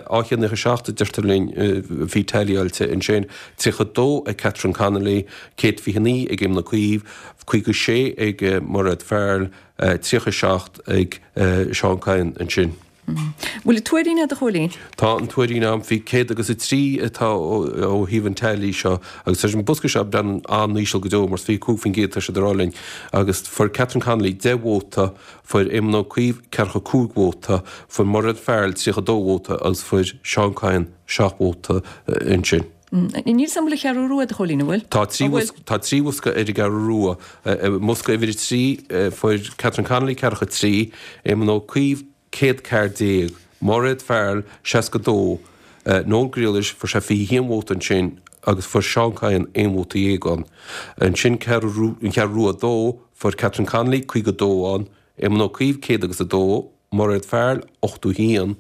297 a deirtear linn a bhí tallyáilte ansin, 32 ag Catherine Connolly, 129 ag Éamon Ó Cuív, 56 ag Mairéad Farrell, 37 ag Seán Kyne ansin. Bhfuil an Tuairín agat, a Chóilín? Tá an Tuairín agam. Bhí 103 atá ó thaobh an tally seo agus tá an bosca seo ag breathnú an-íseal go deo mar 25% tá siad ag rá linn agus fuair Catherine Connolly 10 vóta, fuair Éamon Ó Cuív 45 vóta, fuair Mairéad Farrell 32 vóta agus fuair Seán Kyne 7 vóta ansin. Níl 's a'm an bhfuil an Cheathrú Rua agat, a Chóilín, an bhfuil? Tá tá trí bhosca ar an gCeathrú Rua. I mbosca uimhir 3 fuair Catherine Connolly 43, Éamon Ó Cuív 114, Mairéad Farrell 62, Noel Grealish fuair sé 21 vóta ansin agus fuair Seán Kyne aon vóta dhéag ann. Ansin an Cheathrú Rua 2 fuair Catherine Connolly 52 ann, Éamon Ó Cuív 100 agus 2, Mairéad Farrell, 81,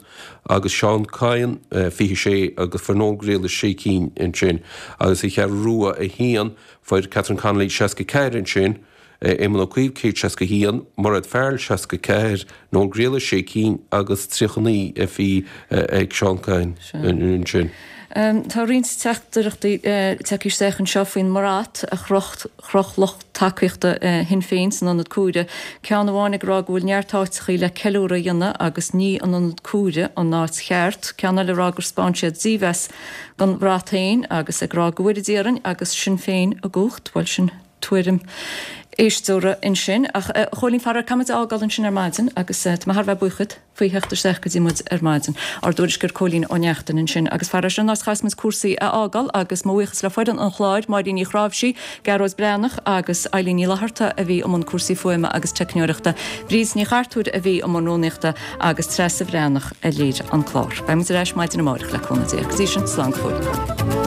agus Seán Kyne, 26, agus fuair Noel Grealish sé cinn ansin. Agus sa Cheathrú Rua 1, fuair Catherine Connolly 64 ansin, Éamon Ó Cuív 161, Mairéad Farrell 64, Noel Grealish sé cinn agus 39 a bhí ag Seán Kyne ansin. Tá roinnt teachtaireachtaí tagtha isteach anseo faoin mbrat a chroch chroch lucht tacaíochta Shinn Féin san Ionad Cuaire, ceann amháin ag rá go bhfuil neart áiteachaí le ceiliúradh a dhéanamh agus ní an Ionad Cuaire an áit cheart, ceann eile ag rá gur 'spáin siad dímheas don bhrat féin agus ag rá go bhfóire Dia orainn agus Sinn Féin i gcumhacht. Bhuel, sin tuairim éisteora ansin. Ach, a Chóilín, faraor, caithfidh muid a fhágáil ansin ar maidin agus tá mé thar a bheith buíoch díot. faoi theacht isteach go dtí muid ar maidin. Ár dtuairisceoir Cóilín Ó Neachtain ansin agus faraor sin an áit a chaithfeas muid cúrsaí a fhágáil agus mo bhuíochas le foireann an chláir, Máirín Ní Chráimhsí, Gearóid Breathnach agus Eilín Ní Fhlatharta a bhí i mbun cúrsaí fuaime agus teicneoireachta, Bríd Ní Chartúir a bhí i mbun rúnaíochta agus Treasa Bhreathnach a léirigh an clár. Beidh muid ar ais maidin amárach le cúnamh Dé. Go dtí sin, slán go fóill.